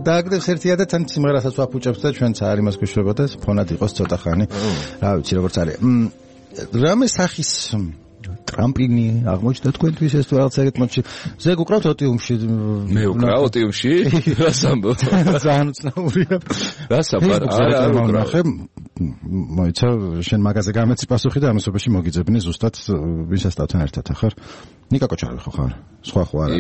დააგდებს ერთია და თან სიმღერასაც ვაფუჭებს და ჩვენც არ იმას გვიშვება და ფონად იყოს ცოტა ხანი რა ვიცი როგორც არის რამე სახის ტრამპლინი აღმოჩნდა თქვენთვის ეს თუ რაღაც ეგეთ მოჩი ზეგ უკრავთ ოტიუმში მე უკრავ ოტიუმში რას ამბობ ძალიან უცნაურია რას აფარ არა უკრავ მოიცა შენ მაგაზე გამეცი პასუხი და ამასობაში მოგიძებნი ზუსტად ვისასწავთან ერთად ახარ ნიკა კოჩარავი ხარ სხვა ხო არა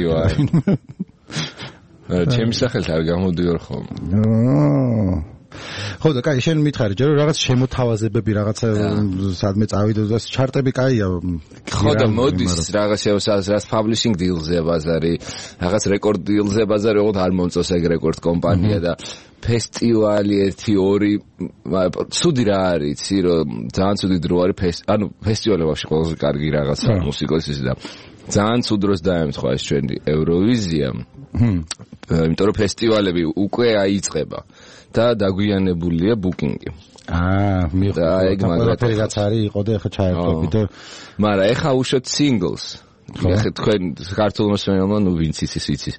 ჩემი სახელით არ გამოდიორ ხოლმე ხო და კაი შენ მითხარი ჯერ რაღაც შემოთავაზებები რაღაცა სადმე წავიდე და ჩარტები კაია ხო და მოდის რაღაც publishing deals-ზე ბაზარი რაღაც record deals-ზე ბაზარი ოღონდ არ მომწონს ეგ record კომპანია და ფესტივალი 1-2 ცუდი რა არის იცი რომ ძალიან ცუდი დრო არის ანუ ფესტივალი ვაფშე ყველაზე კარგი რაღაცა მუსიკოსის და ძალიან ცუდ დროს დაემთხვა ეს ჩვენი ევროვიზია იმიტომ რომ ფესტივალები უკვე აიწყება და დაგვიანებულია ბუკინგი. მიხა ეგ მაგალითად რაც არის იყო და ეხა ჩაერთვები და მაგრამ ეხა უშოთ singles. ეხა თქვენ ქართულ მოსმენელმა ნუ ვინც იცის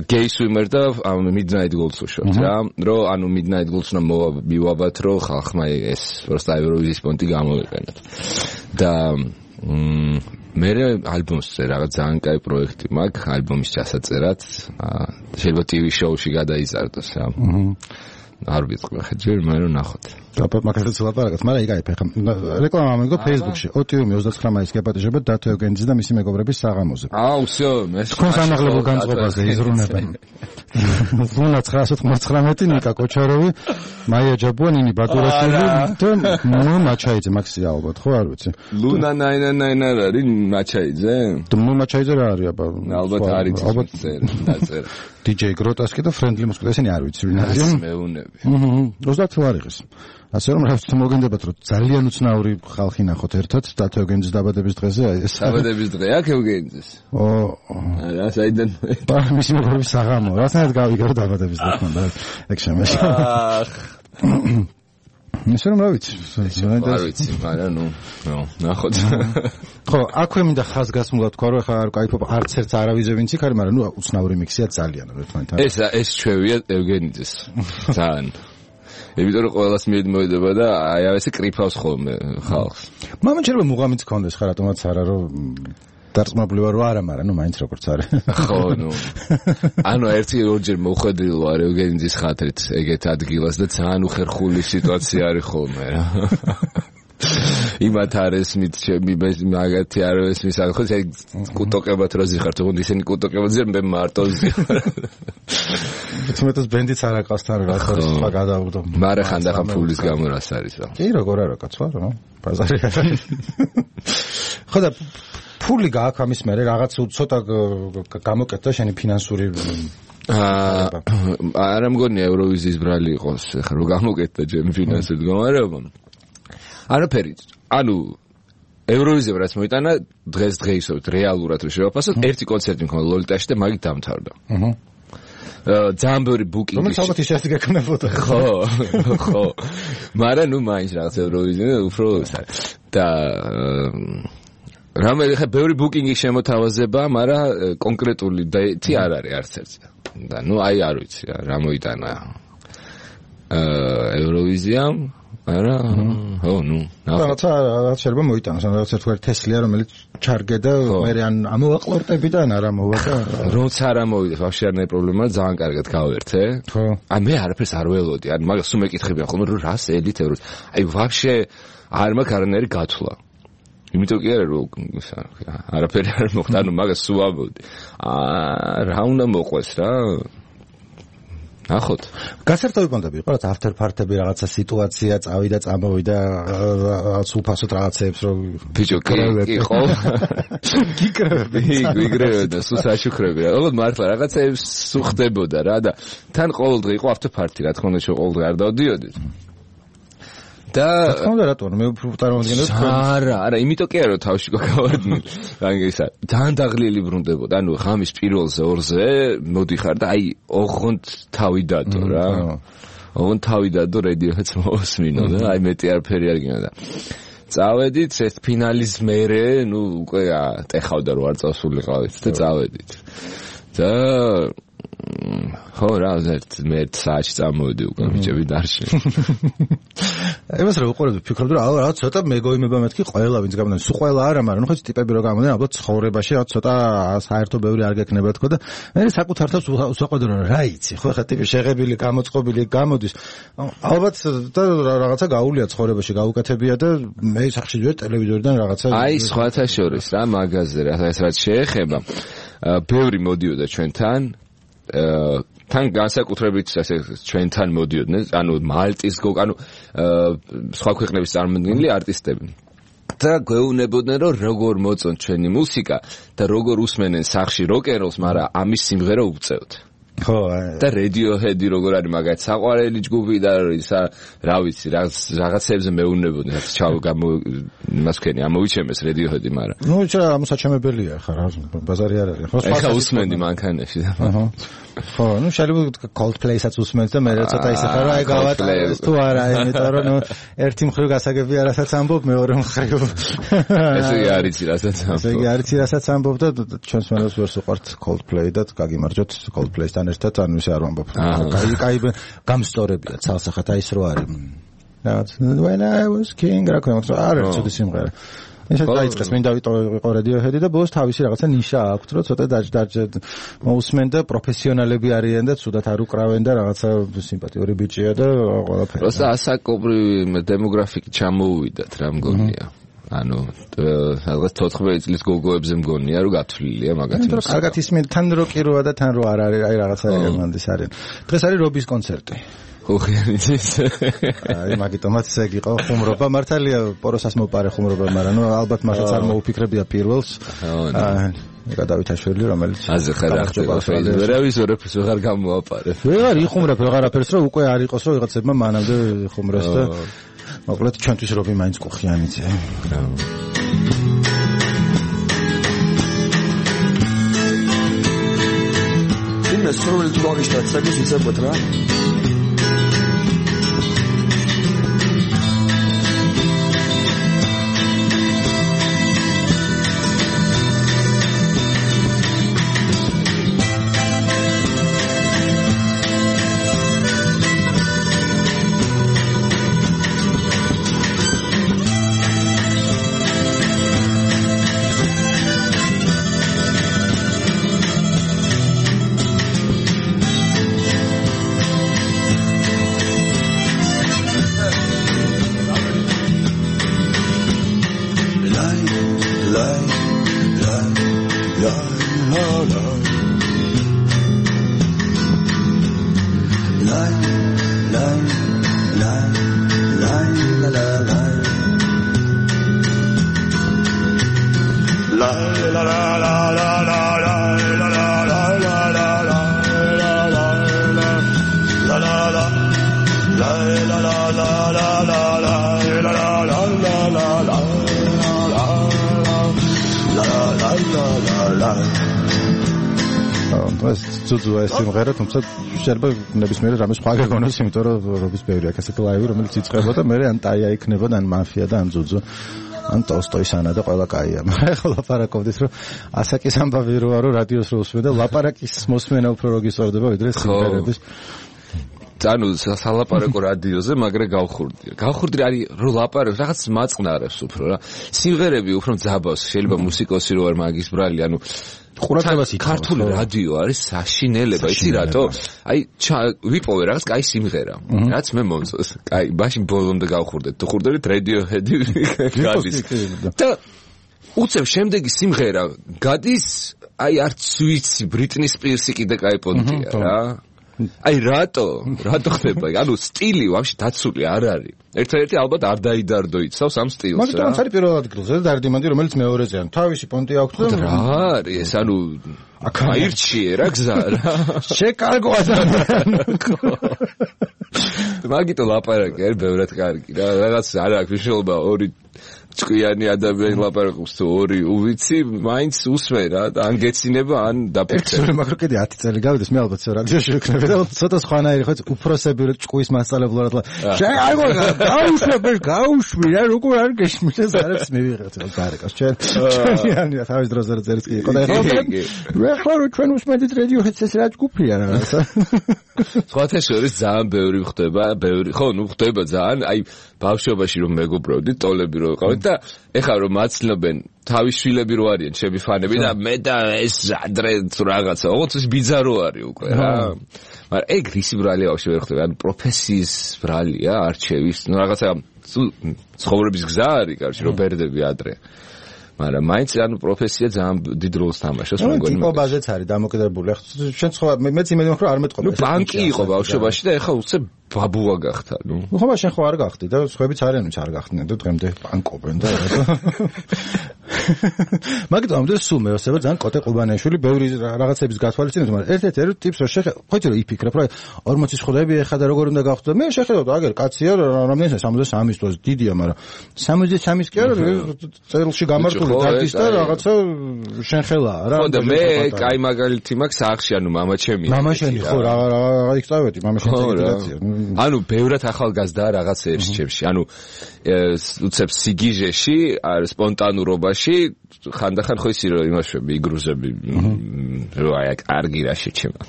Gay Swimmer და Midnight Goals უშოთ რა რომ ანუ Midnight Goals-ნა მივაბათ რომ ხალხმა ეს просто ევროვიზიის პონტი გამოვიყენოთ. და მე ალბომზე რაღაც ძალიან კაი პროექტი მაქვს ალბომის ჩასაწერად შეიძლება TV show-ში გადაიზარდოს რა. არ ვიცი ხა ჯერ მე რომ ნახოთ. და მაგასაც ლაპარაკობთ, მაგრამ იგივე ფეხა. რეკლამა ამიგო Facebook-ში. ოტიუმი 29 მაისს გეპატიჟება დათო ევგენიძე და მისი მეგობრების საღამოზე. всё, მე თქვენს ამაღლებულ განწყობაზე იზრუნებენ. ლუნა 999 ნიკა კოჩაროვი, მაია ჯაბუანინი ბატურაშვილი და ნუ მაჩაიძე მაქსი ალბათ, ხო არ ვიცი. ლუნა 999 არ არის მაჩაიძე? ნუ მაჩაიძე რა არის აბა? ალბათ არის დაწერა. DJ Grotesque და Friendly Moscow ესენი არ ვიცი ვინ არის. მეუნები. 30 ლარიღის. ასე რომ რაც მოგენდებათ რომ ძალიან უცნაური ხალხი ნახოთ ერთად დათო ევგენიძის დაბადების დღეზე აი ეს დაბადების დღე აქ ევგენიძის რა საიდან მისი მეგობრების საღამო რასთან გავიგე რომ დაბადების დღე ხონდა ეგ შემეშა ისე რომ რა ვიცი არ ვიცი მაგრამ ნუ ნახოთ ხო აქვე მინდა ხაზგასმულად თქვა რომ ხა არ кайფობ არც ერთ არავიზე ვინც იქ არის მაგრამ ნუ უცნაური მიქსია ძალიან ერთმანეთთან ეს ჩვევია ევგენიძის ძალიან იმიტომ რომ ყველას მიედება და აი ასე კრიფავს ხოლმე ხალხს. მამან შეიძლება მუღამიც ქონდეს ხა რატომაც არა რომ დარწმუნებული ვარ რომ არა, მაგრამ ნუ მაინც როგორც არის. ხო, ნუ. ანუ ერთი ორჯერ მოხვედრილ ვარ ევგენიძის ხათრით ეგეთ ადგილას და ძალიან უხერხული სიტუაცია არის ხოლმე რა. იმათ არის მით ჩემი მაგათი არ ესმის ხო ეს კუტოკებად რო ზიხართ თქო ისინი კუტოკებადზე მე მარტო ზიხარ თუმცა ბენდიც არ აკავს თან რა ხო სხვა გადავდო მაგრამ ხანდახან ფულის გამო რას არის რა კი როგორ არა კაცო რა ბაზარი ხო და ფული გააქვს ამის მერე რაღაც ცოტა გამოკეთდა შენი ფინანსური არა მგონია ევროვიზიის ბრალი იყოს ხა რო გამოკეთდა ჩემი ფინანსური მდგომარეობა არაფერი ანუ ევროვიზიამ რაც მოიტანა დღესდღეობით რეალურად რო შევაფასოთ ერთი კონცერტი მქონდა ლოლიტაში და მაგით დამთავრდა ძალიან ბევრი ბუკინგი რომელიც ალბათ ის ასე გეკნებოდა ხო მაგრამ ნუ მაინც რაღაც ევროვიზია უფრო და რამე ხა ბევრი ბუკინგი შემოთავაზება მაგრამ კონკრეტული დეტი არ არის არც ერთი და ნუ აი არ ვიცი რა მოიტანა ევროვიზიამ არა ხო ნუ რაღაცა შეიძლება მოიტანოს რაღაც ერთგვარი თესლია რომელიც ჩარგე და მე ან ამოვაყლორტები და არა მოვა და როცა არ ამოვიდეს ვაფშე არ ნაი პრობლემაა ძალიან კარგად გავერთე ხო აი მე არაფერს არ ველოდი ან მაგას სულ მეკითხებიან ხოლმე რომ რას ელით ევროს აი ვაფშე არ მაქვს არანაირი გათვლა იმიტომ კი არა რომ არაფერი არ მოხდა ანუ მაგას სულ ამბობდი რა უნდა მოყვეს რა ნახოთ. გასართობი პონტები იყო, რაც after party-ები რაღაცა სიტუაცია წავიდა, წამოვიდა, რაღაც უფასოდ რაღაცეებს რომ ბიჭო კი ხო? გიგრევდა და სულ საშუქრები რა. ოღონდ მართლა რაღაცეებს სულ ხდებოდა რა და თან ყოველდღე იყო after party, რა თქმა უნდა ყოველდღე არ დავდიოდით. და რა თქმა უნდა რატო მე უფრო წარმოგიდგენთ არა იმიტომ კი არა რომ თავში გავარდნილ რანგისა ძალიან დაღლილი ბრუნდებოდა ანუ ღამის პირველზე ორზე მოდიხარ და აი ოღონდ თავი დადო რა ოღონდ თავი დადო რედიოჰედს მოსმინო და აი მეტი არაფერი არ გინდა წავედით ეს ფინალის მერე ნუ უკვე ტეხავდა რომ არ წავსულიყავით და წავედით და ხო რა ზერთ მე საათი წამოვედი უკვე ბიჭები დარში ემას რა უყურებ ფიქრობ რომ რაღაც ცოტა მეგოიმება მეთქი ყველა ვინც გამოდიან სულ ყველა არა მაგრამ ნუ ხო ტიპები რო გამოდიან ალბათ ცხოვრებაში რაღაც ცოტა საერთო ბევრი არ გექნება თქო და მე საკუთარ თავს უსაყვედრო რა იცი ხო ხა ტიპი შეღებილი გამოწყობილი გამოდის ალბათ და რაღაცა გაულია ცხოვრებაში გაუკეთებია და მე სახში ჯერ ტელევიზორიდან რაღაცა აი სხვათა შორის რა მაღაზია რაც შეეხება ბევრი მოდიოდა ჩვენთან თან განსაკუთრებით ასე ჩვენთან მოდიოდნენ ანუ მალტის ანუ სხვა ქვეყნების წარმომადგენელი არტისტები და გვეუბნებოდნენ რომ როგორ მოწონთ ჩვენი მუსიკა და როგორ უსმენენ სახში როკ-ენ-როლს მაგრამ ამის სიმღერა უწევთ ხო და Radiohead-ი როგორ არის მაგათ საყვარელი ჯგუფი და რა ვიცი რაღაცებზე მეუბნებოდნენ ჩავ იმას ვქენი ამოვიჩემეს Radiohead-ი მაგრამ ნუ ამოსაჩემებელია ხა რა ბაზარი არ არის ხო უსმენდი მანქანაში და ხო ნუ შეიძლება Coldplay-საც უსმენთ და მე ცოტა ისე ხარ აი გავატარეს თუ არა იმიტომ რომ ნუ ერთი მხრივ გასაგებია რასაც ამბობ მეორე მხრივ ესე არის რასაც ამბობ ესე არის რასაც ამბობ და ჩვენს მენელს ვერს უყვართ Coldplay და გაგიმარჯოთ Coldplay-თან ერთად ანუ ისე არ ვამბობ. კაი გამსტორებია ცალსახად აი ეს რო არის. რაღაც when I was king რა ქვია მაგრამ არ არის ცუდი სიმღერა. ისე დაიწყეს მინდა ვიყო Radiohead-ი და ბოლოს თავისი რაღაცა ნიშა აქვს რომ ცოტა დაჯდარჯეთ მოусმენ და პროფესიონალები არიან და ცუდად არ უკრავენ და რაღაცა სიმპათიური ბიჭია და ყველაფერი. просто ასაკობრივი დემოგრაფიკი ჩამოუვიდათ რა მგონია. ანუ რაღაც 14 წლის გოგოებზე მგონია რომ გათვლილია მაგათი მუსიკა. კარგად ისმენ თან როკი როა და თან რო არ არის აი რაღაცა ერმანდის არის. დღეს არის რობის კონცერტი. ხოხიანის. აი მაგიტომაც ეგ იყო ხუმრობა მართალია პოროსას მოპარე ხუმრობა მაგრამ ნუ ალბათ მართლაც არ მოუფიქრებია პირველს. გადავითაშვილი რომელიც აზე ხარ ახდება Facebook-ზე რა ვიზორებს ვეღარ გამოაპარებ. ვეღარ იხუმრებ ვეღარაფერს რომ უკვე არ იყოს რომ ვიღაცებმა მანამდე ხუმრეს და მოკლედ ჩვენთვის რობი მაინც კუხიანიძე. იმას რომელიც გოგიშტად საკის იცებოთ რა. ძუძუ ეს სიმღერა თუმცა შეიძლება ნებისმიერ რამე სხვა გაგონოს იმიტომ რომ რობის ბევრი აქ ასეთი ლაივი რომელიც იწყებოდა მე ან ტაია იქნებოდა ან მაფია და ან ძუძუ ან ტოსტოის ანა და ყველა კაია მაგრამ ახლა ლაპარაკობდით რომ ასაკის ამბავი როა რომ რადიოს რო უსმენ და ლაპარაკის მოსმენა უფრო რო გისწორდება ვიდრე სიმღერების ანუ სალაპარაკო რადიოზე მაგრამ გავხურდი არის რომ ლაპარაკს რაღაც მაწყნარებს უფრო რა სიმღერები უფრო ძაბავს შეიძლება მუსიკოსი რო არ მაგის ბრალი ანუ ყურადღებას ითხოვს ქართული რადიო არის საშინელება იცი რატო აი ვიპოვე რაღაც კაი სიმღერა რაც მე მომწონს კაი მაშინ ბოლომდე გავხურდეთ თუ ხურდებით Radiohead-ი გადის და უცებ შემდეგი სიმღერა გადის აი არც ვიცი Britney Spears-ი კიდე კაი პონტია რა აი რატო ხდება ანუ სტილი ვაფშე დაცული არ არის ერთადერთი ალბათ არ დაიდარდო იცავს ამ სტილს რა მაგიტომაც არის პირველ ადგილზე დარდიმანდი რომელიც მეორეზე ან თავისი პონტი აქვს და რა არის ეს ანუ აირჩიე რა გზა რა შეკარგო ადამიანი მაგიტო ლაპარაკი არის ბევრად კარგი რა რაღაც არ აქვს მნიშვნელობა ორი ჭკვიანი ადამიანი ლაპარაკობს თუ ორი უვიცი, მაინც usme რა, ან გეცინება, ან დაფიქრდება. მაგრამ კიდე 10 წელი გავიდეს, მე ალბათ რადიოში ვიქნები და ცოტა სხვანაირი ხო უფროსები ჭკუის მასწავლებლად გაუშვი რა, როგორ არ გეშმის ეს არებს მივიღეთ რა გარეკას ჩვენი თავის დროზე წერს კი იყო და ეხლა ჩვენ უსმენთ რადიოჰედს ეს რა ჭკუფია რაღაცა. სხვათა შორის ძალიან ბევრი ხდება, ხო, ნუ ხდება ძალიან, აი ბავშვობაში რომ მეგობრობდი, ტოლები რო ვიყავით და ეხლა რომ მაცნობენ თავის შვილები რო არიან, ჩემი ფანები და მე და ეს ადრე რაღაცა, ოღონდ ის ბიძარო არის უკვე რა. მაგრამ ეგ რისი ბრალია ბავშვი ვერ ხდება, ანუ პროფესიის ბრალია, არჩევის, ნუ რაღაცა ცხოვრების გზა არის, კარგი, რომ ბერდები ადრე. მაგრამ მაინც ანუ პროფესია ძალიან დიდ როლს თამაშობს მეგონი. ტიპობაზეც არის დამოკიდებული. შენ სხვა მეც იმედი მაქვს რომ არ მეტყობა. ნუ ბანკი იყო ბავშვობაში და ეხლა უცებ ბაბუა გახდა, ნუ. ხო, მაგრამ შენ ხო არ გახდი და სხვაებიც არიან, ვინც არ გახდნენ და დღემდე ბანკობენ და მაგიტომ ამდა სულ მეოსება ძალიან კოტე ყუბანეშვილი ბევრი რაღაცების გათვალისწინებს, მაგრამ ერთ-ერთ ტიპს რო ხოჭი რო იფიქრებ, რომ 40 ხდები ეხლა და როგორ უნდა გავხდო. მე შეხედავ აგერ კაცია რამდენია 63 წელს დიდია, მაგრამ 63-ის კი არა წელში გამართული დათის და რაღაცა შენ ხელაა რა. ხო და მე კაი მაგალითი მაქვს სახში, ანუ მამა ჩემი. მამა შენი ხო რა იქწავედი, მამა შენი ეგრეცია. ანუ ბევრად ახალგაზრდაა რაღაც ერჩებში. ანუ უცებ სიგიჟეში, სპონტანურობაში ხანდახან ხო ისი რომ იმაშვები, იგრუზები რომ აი კარგი რა შეჩემა.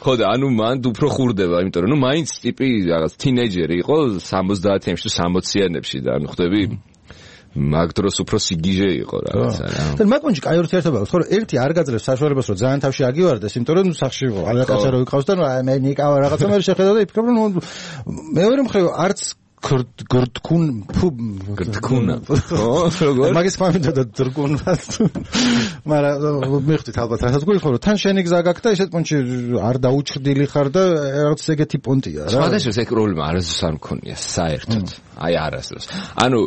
ხო და ანუ მან უფრო ხურდება, იმიტომ რომ ნუ მაინც ტიპი რაღაც თინეიჯერი იყო 70-იანებში თუ 60-იანებში და ანუ ხდები მაგ დროს უფრო სიგიჟე იყო რაღაცა რა. და მაგონში კაი ურთიერთობა აქვს, ხო რომ ერთი არ გაძლევს საშუალებას რომ ძალიან თავში აგივარდეს, იმიტომ რომ სახში რაღაცა რო იყავს და მე ნიკავა რაღაცა მე შეხედავ და იფიქრებ რომ მეორე მხრივ არც გრდკუნა ხო მაგის ფამილია და დრკუნა მაგრამ მიხდით ალბათ რასაც გულიხო რომ თან შენი გზა გაქვს და ისეთ პონჩი არ დაუჭრდილი ხარ და რაღაც ეგეთი პონტია რა სხვადასხვა ეს პრობლემა არასდროს არ მქონია საერთოდ აი არასდროს ანუ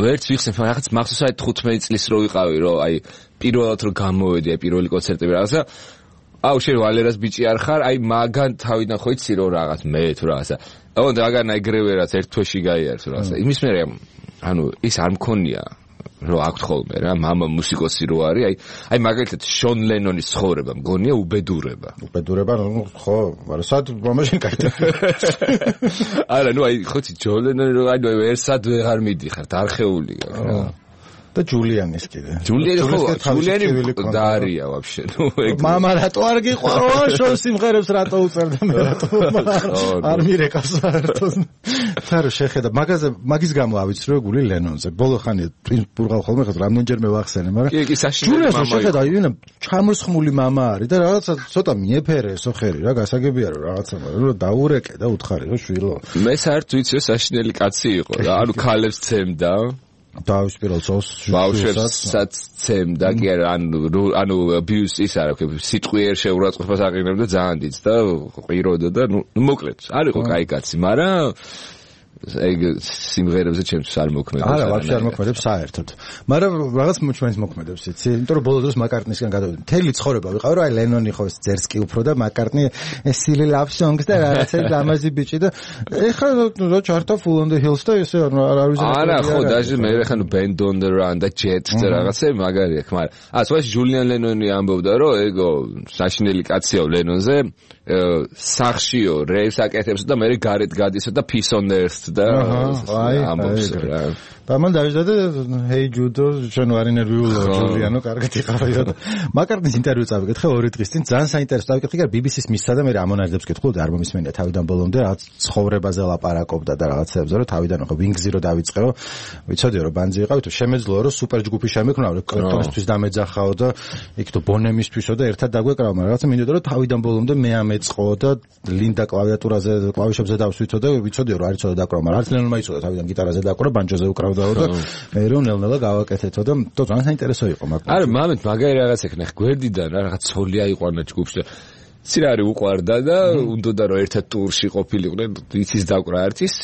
ვერც ვიხსენ რაღაც მახსოვს აი 15 წლის რო ვიყავი რომ აი პირველად რო გამოვედი აი პირველი კონცერტები რაღაცა აუ შენ ვალერას ბიჭი არ ხარ აი მაგან თავიდან ხო იცი რომ რაღაც მე თუ რაღაცა ოღონდ აგან აიგრევე რაც ერთ თვეში გაიარს რაღაცა იმის მერე ანუ ის არ მქონია რომ აქვთ ხოლმე რა მამა მუსიკოსი რო არის აი მაგალითად შონ ლენონის ცხოვრება მგონია უბედურება ხო მაგრამ სად მამაშენ კაითა არა ნუ აი ხოცი ჯონ ლენონი რო აი ერთსად ვეღარ მიდიხარ დარხეული რა და ჯულიანის კიდე. ჯულიანი დაარია ვაფშე. ნუ ეგ მამა რატო არ გიყვარო შოუ სიმღერებს რატო უწერდა მე რატო არ მირეკავს საერთოდ. თარო შეხედა მაგის გამო ავიცრო გული ლენონზე. ბოლო ხანია პურღავ ხოლმე ხა რამდენჯერმე ვახსენე, მაგრამ კი საშინელი მამა. შეხედა ინა ჩამოსხმული მამა არის და რაღაცა ცოტა მიეფერე სოხერი რა გასაგებია რომ რაღაცა რომ დაურეკე და უთხარი რომ შვილო. მე საერთოდ ვიცი რომ საშინელი კაცი იყო რა. ანუ ქალებს ცემდა დავის პირველ წელს ბავშვებსაც ცემდა კი არა ანუ abuse ის არა სიტყვიერ შეურაცხყოფას აყენებდა ძალიან დიდს და ყიროდა და ნუ მოკლედ არ იყო კაი კაცი მაგრამ ეგ სიმღერებზე ჩემთვის არ მოქმედებს არა ვაფშე არ მოქმედებს საერთოდ მაგრამ რაღაც ჩვენს მოქმედებს იცი იმიტომ რომ ბოლო დროს მაკარტნისგან გადავედი მთელი ცხოვრება ვიყავ რომ აი ლენონი ხო ძერს კი უფრო და მაკარტნი silly love songs და რაღაცა ლამაზი ბიჭი და ეხლა რა ჩარტა full on the hills და ესე არ ვიზარ არა ხო დაჟე მე ეხლა ნუ band on the run და jet და რაღაცა მაგარი აქვს მაგრამ სხვა ჯულიან ლენონი ამბობდა რომ ეგო საშინელი კაცია ლენონზე სახშიო რეის აკეთებს და მე გარეთ გადისო და peace on earth და ამბობს რა და მან დავიძადე hey judo ჩვენ ვარ ინერვიულო ჯულიანო კარგად იყავია და მაკარტნის ინტერვიუ წავიკითხე 2 დღის წინ ძალიან საინტერესო წავიკითხე კი BBC-ს მისცა და მე ამონარძებს კითხულობდი არ მომისმენია თავიდან ბოლომდე რაღაც ცხოვრებაზე ლაპარაკობდა და რაღაცებზე რომ თავიდან ხო Wings-ი რო დავიწყეო ვიცოდიო რომ ბანძი იყავით შემეძლო რომ სუპერ ჯგუფი შემეკრნა რომ კრიპტონისთვის დამეძახაო და იქ თუ ბონემისთვისო და ერთად დაგვეკრავ მაგრამ რაღაცა მინდოდა რომ თავიდან ბოლომდე მე ამეწყო და ლინდა კლავიატურაზე კლავიშებზე დავსვითო და ვიცოდიო რომ არ იცოდა დაკვრა მაგრამ არც ლენონმა იცოდა თავიდან გიტარაზე დაკვრა ბანჯოზე უკრავდაო და მე რომ ნელ-ნელა გავაკეთეთო და ძალიან საინტერესო იყო მაგრამ არა მამეთ მაგარი რაღაც ეკნა გვერდიდან რაღაც ცოლი აიყვანა ჯგუფში და ცირა არის უყვარდა და უნდოდა რომ ერთად ტურში ყოფილიყვნენ იცის დაკვრა ერთის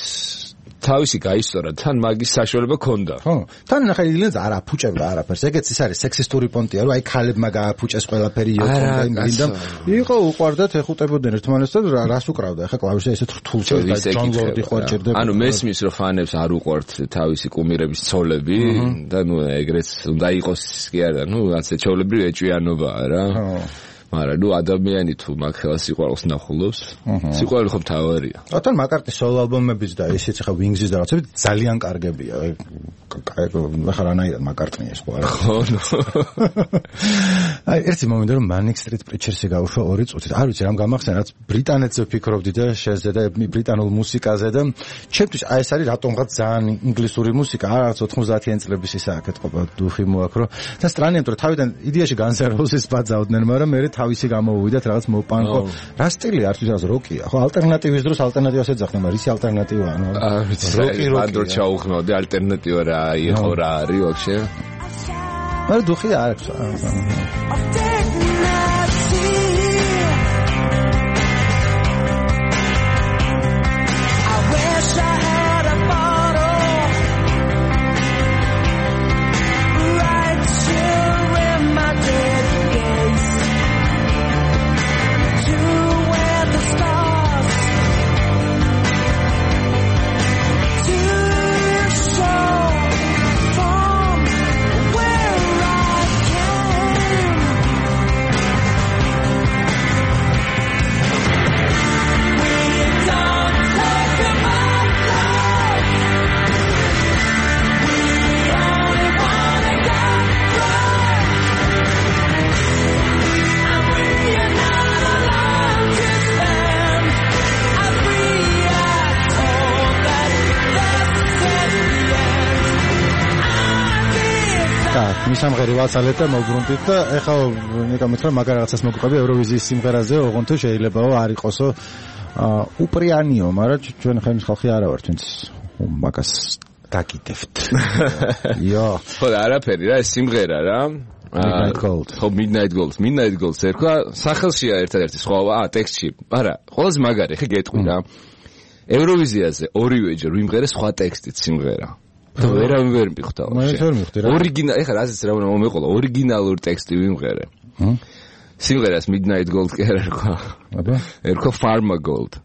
თავისი გაისწორა, თან მაგის საშუალება ქონდა. ხო, თან ნახე ილიენს არ აფუჭებდა არაფერს. ეგეც ის არის სექსისტური პონტია, რომ აი ქალებმა გააფუჭეს ყველაფერი იოქონდა იმრინდა. იყო უყვარდათ ეხუტებოდნენ ერთმანეთს და რას უკრავდა? ახლა კლავიშზე ესეთ რთულს და ჯონ ლორდი ხوارჭერდება. ანუ მესმის რომ ფანებს არ უყვართ თავისი კუმირების ცოლები და ნუ ეგრეც უნდა იყოს კი არა, ნუ ასე ჩაოლებრივი ეჭვიანობაა რა. მაგრამ ნუ ადამიანი თუ მაგ ხელას სიყვარულს ნახულობს, სიყვარული ხომ თავარია. თან მაკარტნის სოლო ალბომებიც და ისიც ხა ვინგზის და რაღაცები ძალიან კარგებია. ახლა რანაირად მაკარტნია ეს ხო არა? ხო. აი ერთი მომენტი რომ Manic Street Preachers-ი გავუშვა 2 წუთით. არ ვიცი რამ გამახსენა, რაც ბრიტანეთზე ვფიქრობდი და შეზე და ბრიტანულ მუსიკაზე და ჩემთვის აი ეს არის რატომღაც ძალიან ინგლისური მუსიკა, რაღაც 90-იან წლების ისა აკეთყოფა დუხი მოაქრო და სტრანიემ რომ თავიდან იდეაში Guns N' Roses ბაძავდნენ, მაგრამ მე თავისი გამოვიდათ რაღაც მოპანკო. რა სტილი არის ეს როკია? ხო ალტერნატივის დროს ალტერნატივას ეძახდნენ, მაგრამ ისი ალტერნატივაა, ანუ როკი ბანდრო ჩაუხმავდი ალტერნატივა რა იყო რა არის ვაფშე? მაგრამ დუხი არ აქვს. სამღერი ვაცალეთ და მოგბრუნდით და ეხლა ნიკამეთრა მაგარ რაღაცას მოგვიყვები ევროვიზიის სიმღერაზე, ოღონდ შეიძლება არ იყოსო უპრიანიო, მაგრამ ჩვენ ხემის ხალხი არა ვართ, ვინც მაგას დაგიდებთ. იო. ხო, არაფერი რა, ეს სიმღერა რა. Midnight Gold. ხო, Midnight Gold ერქვა, სახელშია ერთადერთი სხვაობა, ტექსტში. არა, ყველაზე მაგარი, ხე გეტყვი რა. ევროვიზიაზე ორივეჯერ ვიმღერე სხვა ტექსტით სიმღერა. და ვერავინ ვერ მიხვდა. ორიგინალი, ეხლა რაზეც რა უნდა მომეყოლა, ორიგინალური ტექსტი ვიმღერე. სიმღერას Midnight Gold კი არ ერქვა. აბა? ერქვა Pharma Gold.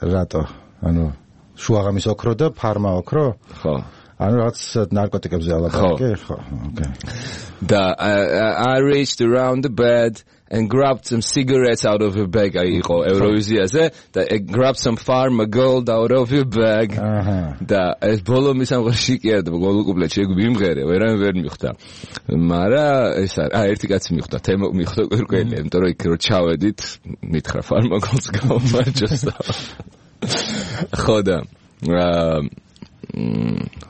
რატო? ანუ შუაღამის ოქრო და ფარმა ოქრო? ხო. ანუ რაღაც ნარკოტიკებზე ალაპარაკე, ხო, okay. და I reached around the bed and grabbed some cigarettes out of her bag. იყო ევროვიზიაზე და grabbed some Pharma Gold out of her bag. და ეს ბოლომის ამღერში კი არა და ბოლო კუპლეტში ვიმღერე, ვერავინ ვერ მიხვდა. მაგრამ ეს არის, ერთი კაცი მიხვდა, თემო მიხვდა კვირკველი, იმიტომ რომ იქ რო ჩავედით, მითხრა Pharma Gold-ს გამომარჯოს და ხო და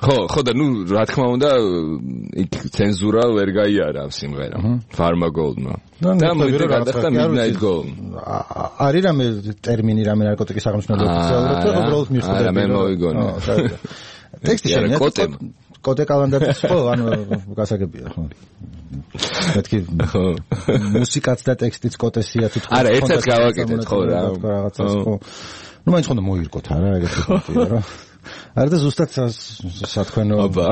ხო და ნუ რა თქმა უნდა იქ ცენზურა ვერ გაიარა ამ სიმღერამ Pharma Gold-მა და მოიდგა გადახდა Midnight Gold. არის რამე ტერმინი რამე ნარკოტიკის აღმნიშვნელი ოფიციალურად და უბრალოდ მიხვდა. არა მე მოიგონე. ტექსტი შენია კოტე კალანდარის ხო ანუ გასაგებია ხო. მეთქი მუსიკაც და ტექსტიც კოტესია თუ არა ერთად გავაკეთეთ ხო რა. რაღაცას ხო. ნუ მაინც ხონდა მოირკოთ არა ეგეთი პონტია რა. არა და ზუსტად სათქვენო აბა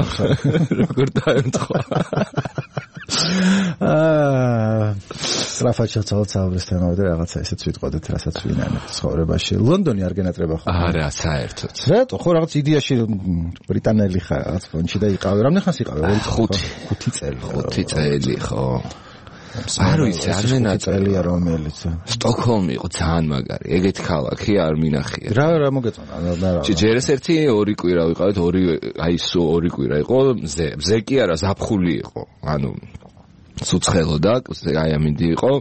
როგორ დაემთხვა სტრაფად ჩავცალოთ თემავე რაღაცა ისეც ვიტყოდეთ რასაც ვინანებთ ცხოვრებაში. ლონდონი არ გენატრება ხო? არა საერთოდ. რატო? ხო რაღაც იდეაში ბრიტანელი ხარ რაღაც ფონჩი და იყავი. რამდენი ხანს იყავი? 5 წელი. 5 წელი ხო. არ ვიცი, არ მენაწერია რომელიც. სტოკჰოლმი იყო ძალიან მაგარი. ეგეთი ქალაქი არ მინახია. რა მოგეწონა? ჯერეს ერთი 2 კვირა ვიყავით, აი სულ 2 კვირა იყო, მზე კი არა, ზაფხული იყო. ანუ ცუცხელოდა, აი ამინდი იყო.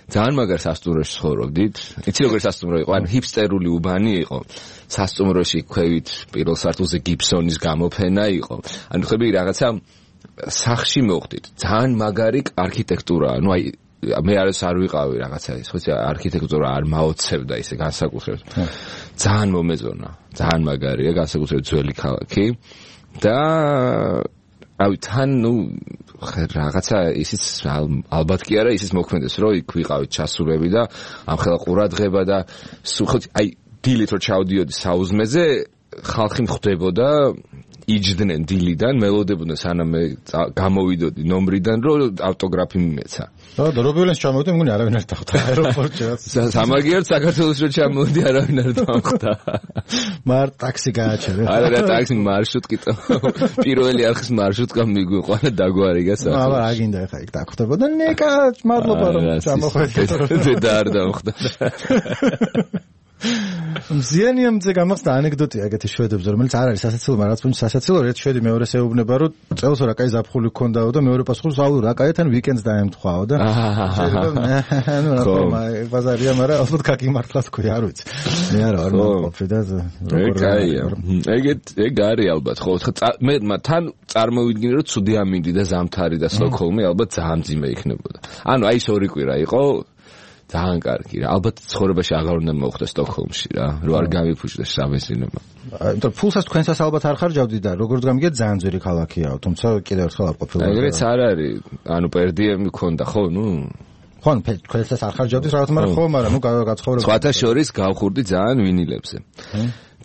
ძალიან მაგარ სასტუმროში ცხოვრობდით. იცი როგორ სასტუმრო იყო? ანუ ჰიპსტერული უბანი იყო. სასტუმროში ქვევით პირველ სართულზე გიბსონის გამოფენა იყო. ანუ ხები რაღაცა სახში მოხდით. ძალიან მაგარი არქიტექტურაა. ნუ აი მე არ ვიყავი რაღაცა ის, ხო, არქიტექტურა არ მაოცებდა ისე განსაკუთრებით. ძალიან მომეწონა. ძალიან მაგარია, განსაკუთრებით ძველი ქალაქი. და აი თან ნუ რაღაცა ისიც ალბათ კი არა, ისიც მოქმედეს, რომ იქ ვიყავით ჩასულები და ამხელა ყურადღება და ხო აი დილით რო ჩავდიოდი საუზმეზე ხალხი მხვდებოდა იჯდნენ დილიდან, მელოდებოდნენ სანამ მე გამოვიდოდი ნომრიდან, რომ ავტოგრაფი მიმეცა. და რობილენს ჩამოვიდა, მგონი არავინ არ დახვდა აეროპორტშიც. სამაგიერად საქართველოს რო ჩამოვიდი, არავინ არ დახვდა. მარ ტაქსი გააჩერე. არა, ტაქსი მარშრუტკი და პირველი არხის მარშრუტკა მიგვიყვა და დაგვარიგა სახე. აბა, აგინდა ხა იქ დახვდებოდა. ნეკა, მადლობა რომ ჩამოხვედით. და არ დახვდა. მზიანიამზე გამახსნა ანეკდოტია ეგეთი შვედებზე, რომელიც არ არის სასაცილო, მაგრამ რაც სასაცილო, ერთ შვედი მეორეს ეუბნება, რომ წელს რა კაი ზაფხული გქონდაო და მეორე პასუხობს, აუ რა კაი თან ვიკენდს დაემთხვაო და ანუ რა თქმა უნდა, ბაზარია, მაგრამ ალბათ გაკიმართლა თქვი, არ ვიცი. მე არა არ მომყოფი და კაია. ეგ არის ალბათ, ხო, მე თან წარმოვიდგინე, რომ ცუდი ამინდი და ზამთარი და სტოკჰოლმი ალბათ ძალიან ძიმე იქნებოდა. ანუ აი ეს ორი კვირა იყო ძალიან კარგი რა. ალბათ ცხოვრებაში აღარ უნდა მოხდეს სტოკჰოლმში რა, რომ არ გამიფუჭდეს საბენზინო. იმიტომ ფულსაც თქვენსაც ალბათ არ ხარჯავდი და როგორც გამიგეთ ძალიან ძვირი ქალაქიაო, თუმცა კიდევ ერთხელ არ ყოფილა. ეგრეც არ არის. ანუ პერდიემი ქონდა, ხო, ნუ ხო, თქვენსაც არ ხარჯავდი რაღაც, მაგრამ ხო, მაგრამ ნუ გაცხოვრება. სხვათა შორის გავხურდი ძალიან ვინილებზე.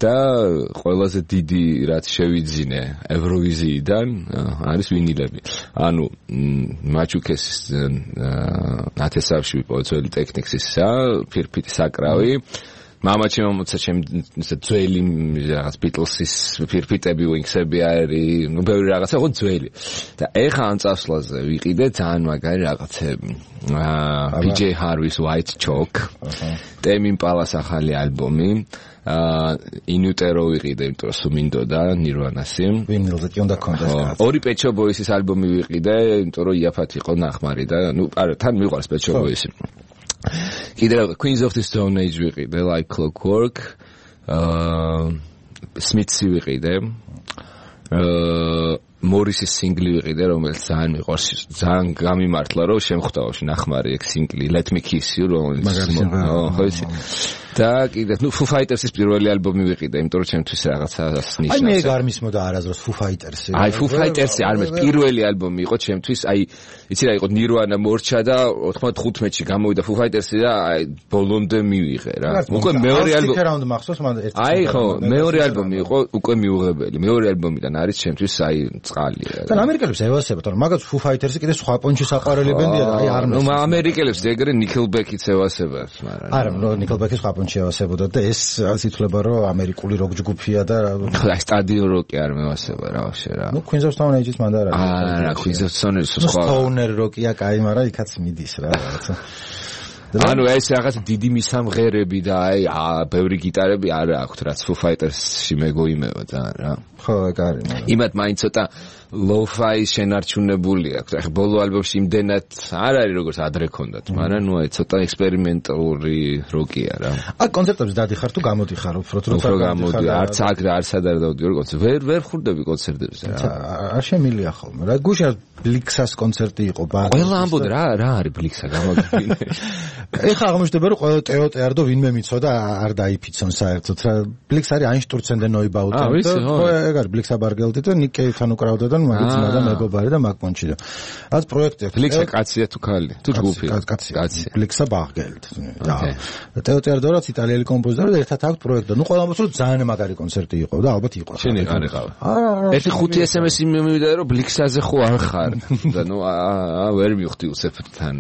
და ყველაზე დიდი რაც შევიძინე ევროვიზიიდან არის ვინილები. ანუ მაჩუკესის ნათესავში პოეცელი ტექნიქსისა, ფირფიტი საკრავი. მამაჩემ მომცა ჩემი ძველი რაღაც ბიტლსის ფირფიტები, ვინქსები არის, ნუ ბევრი რაღაცა, ხო ძველი. და ეხა ამ წასვლაზე ვიყიდე ძალიან მაგარი რაღაცები. PJ Harvey's White Chalk, Tame Impala's ახალი ალბომი. ინუტერო ვიყიდე, იმიტომ რომ სუმინდოდა ნირვანასი. ვინილზე კი უნდა კონდეს. ორი Pet Shop Boys-ის ალბომი ვიყიდე, იმიტომ რომ იაფად იყო ნახმარი და ნუ არა, თან მიყვარს Pet Shop Boys-ი. კიდევ Queens of the Stone Age ვიყიდე, Like Clockwork. Smiths ვიყიდე. მორისის სინგლი ვიყიდე, რომელიც ძალიან მიყვარს, ძალიან გამიმართლა, რომ შემხვდაოში ნახმარი ეგ სინგლი Let Me Kiss You, რომელიც ხო ისი. და კიდე ნუ Foo Fighters-ის პირველი ალბომი ვიყიდე, იმიტომ რომ ჩემთვის რაღაცა ნიშნავს. აი მე არ მისმოდა არასდროს Foo Fighters-ი. აი Foo Fighters-ი არ მეც პირველი ალბომი იყო ჩემთვის, აი იცი რა იყო Nirvana მორჩა და 95-ში გამოვიდა Foo Fighters-ი და აი ბოლომდე მივიღე რა. უკვე მეორე ალბომი რა უნდა მახსოვს მან ერთი. აი ხო, მეორე ალბომი იყო უკვე მიუღებელი. მეორე ალბომიდან არის ჩემთვის აი წყალია. და ამერიკელებს ევასებათ, რომ მაგაც Foo Fighters-ი კიდე სხვა პონჩი საყვარელი ბენდია და აი არ ნუ ამერიკელებს ეგრე Nickelback-იც ევასებათ, მაგრამ არა, ნუ Nickelback-ის სხვა პონჩი ევასებოდა და ეს რაც ითვლება, რომ ამერიკული როკ ჯგუფია და აი სტადიონ როკი არ მევასება რა ვაფშე რა. ნუ Queens of Stone Age-ის მანდ არ არის. არა, Queens of Stone Age-ის სხვა. Stoner როკია, კაი, მაგრამ იქაც მიდის რა რაღაცა. ანუ ეს რაღაც დიდი მისამღერები და აი ბევრი გიტარები არ აქვს, რაც Foo Fighters-ში მეგოიმევა ძალიან რა. ხო, ეგ არის. იმათ მაინც ცოტა lo-fi შენარჩუნებული აქვს. ახლა ბოლო ალბომში იმდენად არ არის როგორც ადრე ქონდათ, მაგრამ ნუ აი ცოტა ექსპერიმენტალური როკია რა. აი კონცერტებზე დადიხარ თუ გამოდიხარ უფრო როცა გამოდი, არც აქ და არც ადარ დავდივარ კონცერტებზე. ვერ ხვდები კონცერტებზე რა. არ შემილია ხოლმე. რა გუშინ ბლიქსას კონცერტი იყო ბარში. ყველა ამბობ რა არის ბლიქსა გამოგიდგინე. ეხა აღმოჩნდება რომ ყველა ტეოტერდო ვინმე მიცოდა არ დაიფიცონ საერთოდ რა. ბლიքს არის Einstürzen der Neubauten. ხო, ეგ არის ბლიქსა ბარგელდი და Nick Cave-თან უკრავდა და მაგიცინა და მეგობარი და მაგპონჩი და რაც პროექტი აქვს. ბლიქსა კაცია თუ ქალი? თუ ჯგუფია? კაცია. ბლიქსა ბარგელდი. და ტეოტერდო რაც იტალიელი კომპოზიტორი და ერთად აქვს პროექტი. ნუ ყველა ამბობს რომ ძალიან მაგარი კონცერტი იყო და ალბათ იყო. შენ არ იყავ. ერთი 5 SMS-ი მივიდა რომ ბლიქსაზე ხო არ ხარ და ნუ ვერ მივხვდი უცებთან.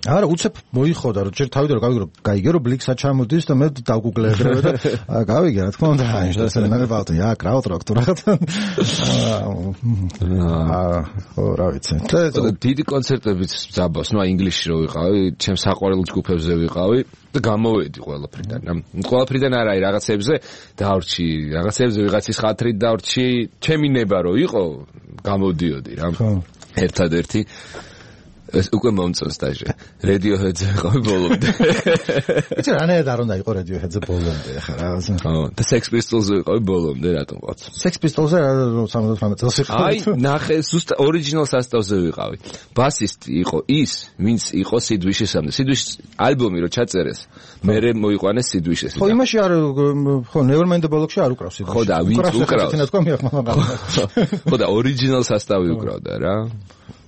არა, უცებ მოიხოდა რომ ჯერ თავიდან რომ გაიგე რომ ბლიქსა ჩამოდის და მე დავგუგლე ეგრევე და გავიგე რა თქმა უნდა Einstürzen der Neubauten. Ja, Krautrock თუ რაღაცა. ხო, რა ვიცი. დიდი კონცერტებიც ძაბავს, ნუ ინგლისში რო ვიყავი, ჩემ საყვარელ ჯგუფებზე ვიყავი და გამოვედი ყველაფრიდან. ყველაფრიდან არა, რაღაცებზე დავრჩი, რაღაცებზე ვიღაცის ხათრით დავრჩი, ჩემი ნება რო იყო, გამოდიოდი რა. ერთადერთი ეს უკვე მომწონს დაჟე. Radiohead-ზე ყავი ბოლომდე. იცი რა ნაირად არ უნდა იყო Radiohead-ზე ბოლომდე ხა რაღაცა. ხო, და Sex Pistols-ზე ყავი ბოლომდე რატომ ყავთ? Sex Pistols-ზე 78 წელს იყავი. აი, ნახე, ზუსტად ორიგინალ სასტავზე ვიყავი. ბასისტი იყო ის, ვინც იყო Sid Vicious-მდე. Sid Vicious ალბომი რო ჩაწერეს, მერე მოიყვანეს Sid Vicious-ი. ხო, იმაში არ ხო, Nevermind the Bollocks-ში არ უკრავს Sid Vicious. ხო და ვინც უკრავს? თინდა თქვა მიახმანა. ხო და ორიგინალ სასტავი უკრავდა რა.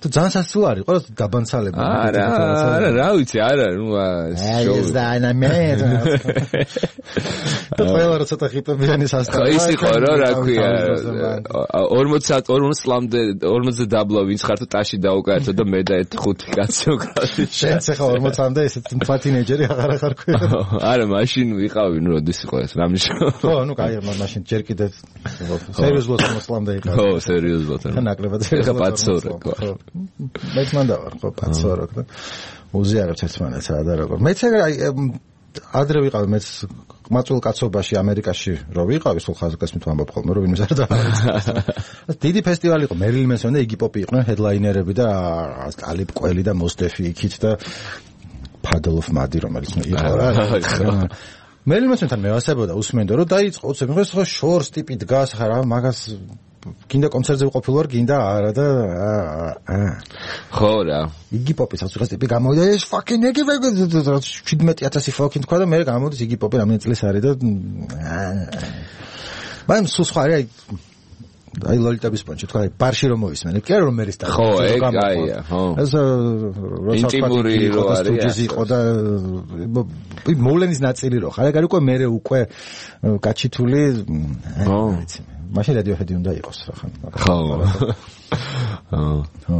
თუ ძალიან სასწაული არის, ყველა დაბანცალება. არა, რა ვიცი, არა, ნუ ეს და ანამეთ. ყველა როცა ხიპებიანი სასწაული. ის იყო რა ქვია 40 წლამდე 40 დაბლა ვინც ხარ თუ ტაში დაუკარცო და მე და 5 კაცი უკრავდი. შენც ახლა 40-მდე ესეთ თქვა თინეიჯერი აღარ ხარ ქვია. არა, მაშინ ვიყავი, ნუ როდის იყო ეს, რა მნიშვნელობა. ხო, ნუ კაი, მაშინ ჯერ კიდე სერიოზულად 40-მდე იყავი. ხო, სერიოზულად. ნაკლებად სერიოზულად. პაცორე, ხო. მეც მანდა ვარ, ხო, პაცორე და უზიარებთ ერთმანეთს რა და როგორ. მეც აი ადრე ვიყავი, მეც ყმაწვილ კაცობაში ამერიკაში რო ვიყავი, სულ ხაზგასმით ვამბობ ხოლმე, რომ ვინმეს არ დავარწმუნე. დიდი ფესტივალი იყო, მერილინ მენსონი და იგი პოპი იყვნენ ჰედლაინერები და ალიპ კველი და მოსდეფი იქით და ფადელოფ მადი რომელიც იყო რა. მერილინ მენსონთან მევასებოდა უსმენდო რომ დაიწყო უცებ მე ხო შორს ტიპი დგას ხარ მაგას გინდა კონცერტზე ვყოფილ ვარ, გინდა არა და ხო რა. იგი პოპის ასუხას ტიპი გამოვიდა ეს fucking იგი 17000 fucking თქვა და მე გამოდის იგი პოპი რამდენი წლის არის და მაგრამ სულ სხვა არის აი ლოლიტების პონჩი თქვა ბარში რომ მოვისმენ კი არა რომ მერის და ხო ეგ აია ხო ეს ინტიმური რო არის იყო და მოვლენის ნაწილი რო ხარ ეგ არის უკვე მე უკვე გაჩითული ხო მაშინ რადიოჰედი უნდა იყოს რა ხან ხო ხო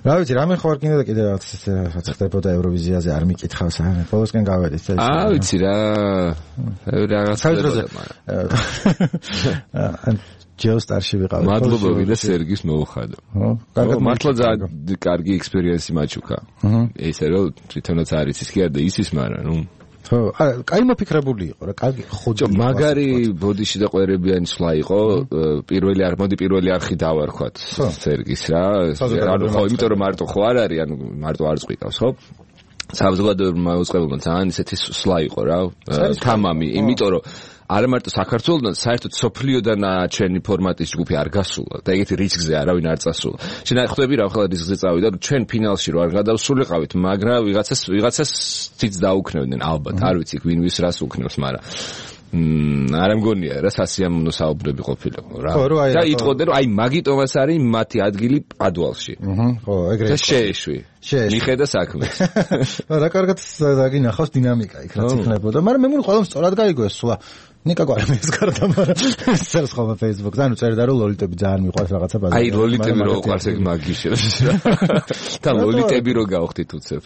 რა ვიცი რამე ხო არ კიდე და კიდე რაღაც ხდებოდა ევროვიზიაზე არ მიკითხავს არა ყოველსკენ გავედით ვიცი რა რაღაცა ჯეოსტარში ვიყავი. მადლობა ვიდა სერგის მოუხადო. ხო, მართლა ძალიან კარგი ექსპერიენსი მაჩუქა. ესე რომ თვითონაც არის ის კი არა და ისის, მაგრამ ნუ ხო, კაი მოფიქრებული იყო რა, კარგი ხოდი. მაგარი ბოდიში და ყვერებიანი სვლა იყო, პირველი არხი დავარქვათ სერგის რა. ანუ ხო, იმიტომ რომ მარტო ხო არ არის, ანუ მარტო არ წვიკავს, ხო? საზოგადოებრივ მოწყებულმა ძალიან ისეთი სვლა იყო რა, თამამი, იმიტომ რომ არა მარტო საქართველოსთან, საერთოდ სოფლიოდან ჩვენი ფორმატის ჯგუფი არ გასულა და ეგეთი რისკზე არავინ არ წასულა. შენ ხვდები რა ახლა რისკზე წავიდა, რომ ჩვენ ფინალში რო არ გადავსულიყავით, მაგრამ ვიღაცას ციც დაუქნევდნენ ალბათ, არ ვიცი ვინ ვის რას უქნევს, მაგრამ არ მგონია რა სასიამოვნო საუბრები ყოფილიყო რა. და იტყოდნენ რომ აი მაგიტომას არის მათი ადგილი პადუალში. ხო, ეგრე. და შეეშვი. მიხედა საქმეს. რა კარგად დაგინახავს დინამიკა იქ რაც იქნებოდა, მაგრამ მე მგონი ყველამ სწორად გაიგო ეს სულა. ნიკა გვარამის გარდა, მაგრამ წერს ხოლმე Facebook-ზე, ანუ წერდა რომ ლოლიტები ძალიან მიყვარს რაღაცა ბაზარი. აი ლოლიტები რო ყავს ეგ მაგიშებს. და ლოლიტები რო გავხდით უცებ.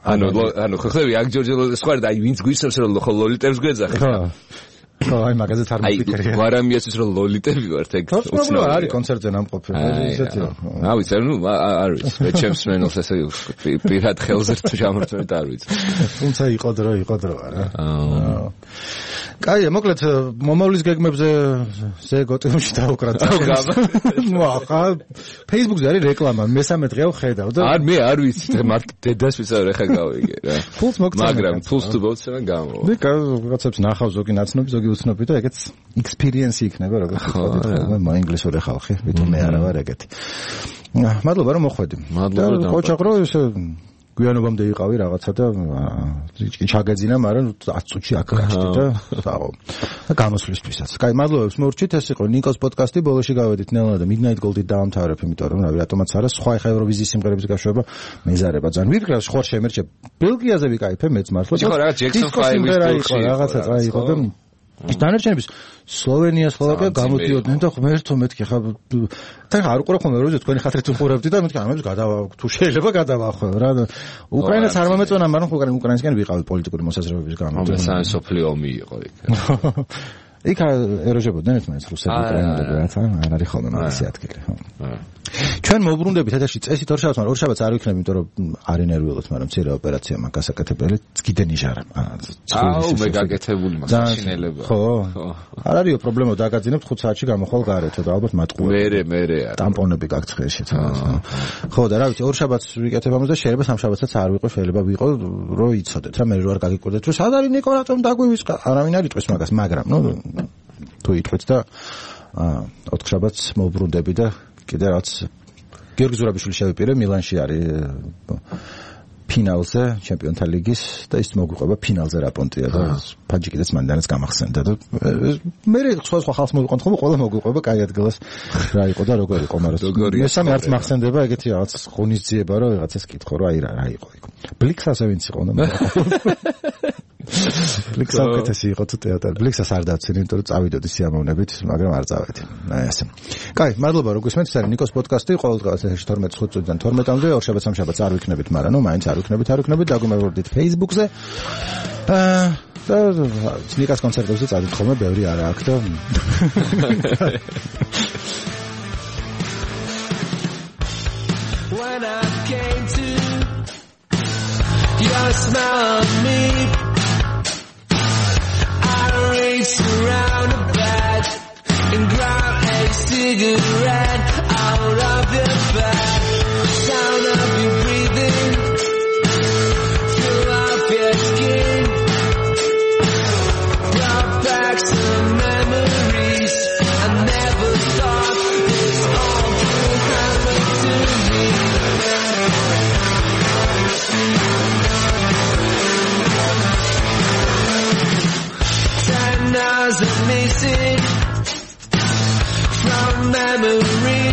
ანუ ხო ხები აქ ჯორჯელოს სხვა და აი ვინც გვისურვებს რომ ლოლიტებს გვეძახი. ხო, აი მაგაზე თარ მიფიქრე. გვარამიასთვის რომ ლოლიტები ვართ ეგ უცნაური არის კონცერტზე ნამყოფი. ესეთი. რა ვიცი, ნუ არ ვიცი, მე ჩემს მენელს ესე პირად ხელზე ჩამორწმეთ არ ვიცი. თუმცა იყო დრო არა. კაია, მოკლედ მომავლის გეგმებზე ზეგოტიმში დავუკრათ. ნუ ახლა Facebook-ზე არის რეკლამა, მესამე დღეა ვხედავ და მე არ ვიცი, მარტო დედას ვისაუბრე ხა გავიგე რა. ფულს მოგწევ. მაგრამ ფულს თუ მოგწევ გამო. მე რაღაცებს ნახავ ზოგი ნაცნობი, ზოგი უცნობი და ეგეც experience იქნება როგორც ვთქვათ, ხოლმე მოინგლისური ხალხი, ვიტო მე არა ვარ ეგეთი. მადლობა რომ მოხვედი. მადლობა. ხოჭაღრო ესე გვიანობამდე იყავი რაღაცა და ჩაგეძინა, მაგრამ 10 წუთში აქ გაჩდი და დააყო. და გამოსვლისთვისაც. კაი, მადლობებს მორჩით, ეს იყო ნიკოს პოდკასტი, ბოლოში გავედით ნელა და Midnight Gold-ით დავამთავრებ, იმიტომ რომ რავი, რატომაც არა, სხვა ხა ევროვიზიის სიმღერების გაშვება მეზარება ძალიან. ვირგრავს ხوار შემერჩე. ბელგიაზე ვიკაიფე მეც მართლა. ხო, რაღაც Jackson 5-ის რაღაცა იყო და დანარჩენების სლოვენია, სლოვაკია გამოდიოდნენ და ღმერთო მეთქი ხა თან არ უყურე ხოლმე როზე თქვენი ხათრით უყურებდი და მეთქი ამებს გადავა თუ შეიძლება გადავახო რა უკრაინას არ მომეწონა მაგრამ უკრაინისკენ ვიყავი პოლიტიკური მოსაზრებების გამო და სანსოფლიო ომი იყო იქ იქ ეროჟებოდნენ ერთმანეთს რუსები უკრაინელები რათა არ არის ხოლმე მაგისი ადგილი ხო ჩვენ მოუბრუნდებით ეთერში წესით ორშაბათს მაგრამ ორშაბათს არ ვიქნები იმიტომ რომ არ ინერვიულობთ მაგრამ მცირე ოპერაცია მაგ გასაკეთებელი გიდე ნიჟარა აუ მე გაკეთებული მაშინელება ხო არ არისო პრობლემა დაგაძინებთ 5 საათში გამოხვალ გარეთ და ალბათ მატყუები მე არა ტამპონები გაქვთ ხერში ხო და რა ვიცი ორშაბათს ვიკეთებ ამას და შეიძლება სამშაბათსაც არ ვიყო შეიძლება ვიყო რომ იცოდეთ რა მე რო არ გაგიკვირდეთ რომ სად არის ნიკო რატომ დაგვივისყა არავინ არ იტყვის მაგას მაგრამ ნუ თუ იტყვით და 4 შაბათს მოუბრუნდები და კიდე რაც გიორგი ზურაბიშვილი შევიპირე მილანში არის ფინალზე ჩემპიონთა ლიგის და ის მოგვიყვება ფინალზე რა პონტია და ფაჯიკიდაც მანდანაც გამახსენდა და მე სხვა ხალხს მოვიყვანთ ხოლმე ყველა მოგვიყვება კაი ადგილას რა იყო და როგორ იყო მაგრამ მესამე არც მახსენდება ეგეთი რაღაც ღონისძიება რომ ვიღაცას კითხო რომ აი რა იყო იქ ბლიქსაზე ვინც იყო და ბლიქსა უკეთესი იყო თუ თეატრი ბლიქსას არ დავცინე იმიტომ რომ წავიდოდი სიამოვნებით მაგრამ არ წავედი აი ასე კაი მადლობა რომ გისმენთ ეს არის ნიკოს პოდკასტი ყოველდღიურად 12 წუთიდან 12-მდე ორშაბათს სამშაბათს არ ვიქნებით მაგრამ ნუ მაინც არ ვიქნებით დაგუმეორდით Facebook-ზე და ნიკას კონცერტებზე წავიდით ხოლმე ბევრი არა აქ და When I came to your smile on me race around a bed and grab a cigarette out of your bed. Sound of you breathing through off your skin brought back some memories. I never thought this all could happen to me. 10 hours of missing from memory.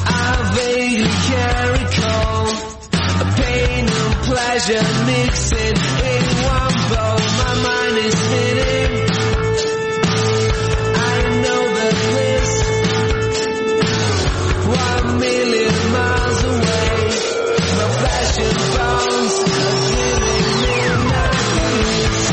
I vaguely can recall a pain and pleasure mixing in one bowl. My mind is spinning. I know that this 1 million miles away. My flesh and bones are giving me memories.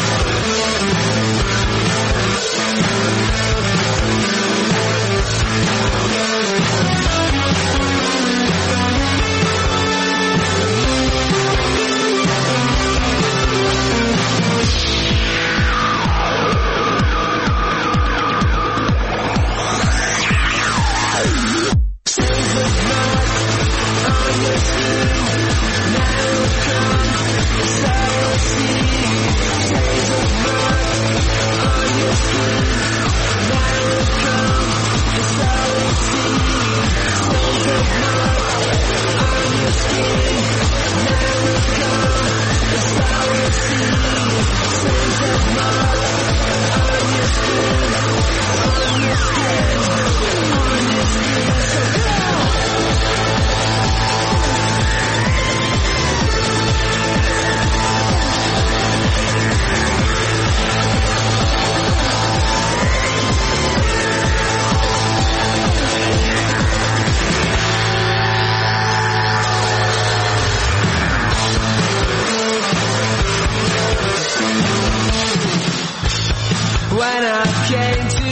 When I came to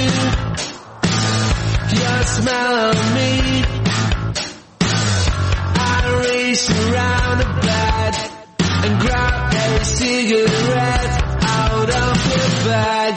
your smell on me, I raced around the bed and grabbed a cigarette out of your bag.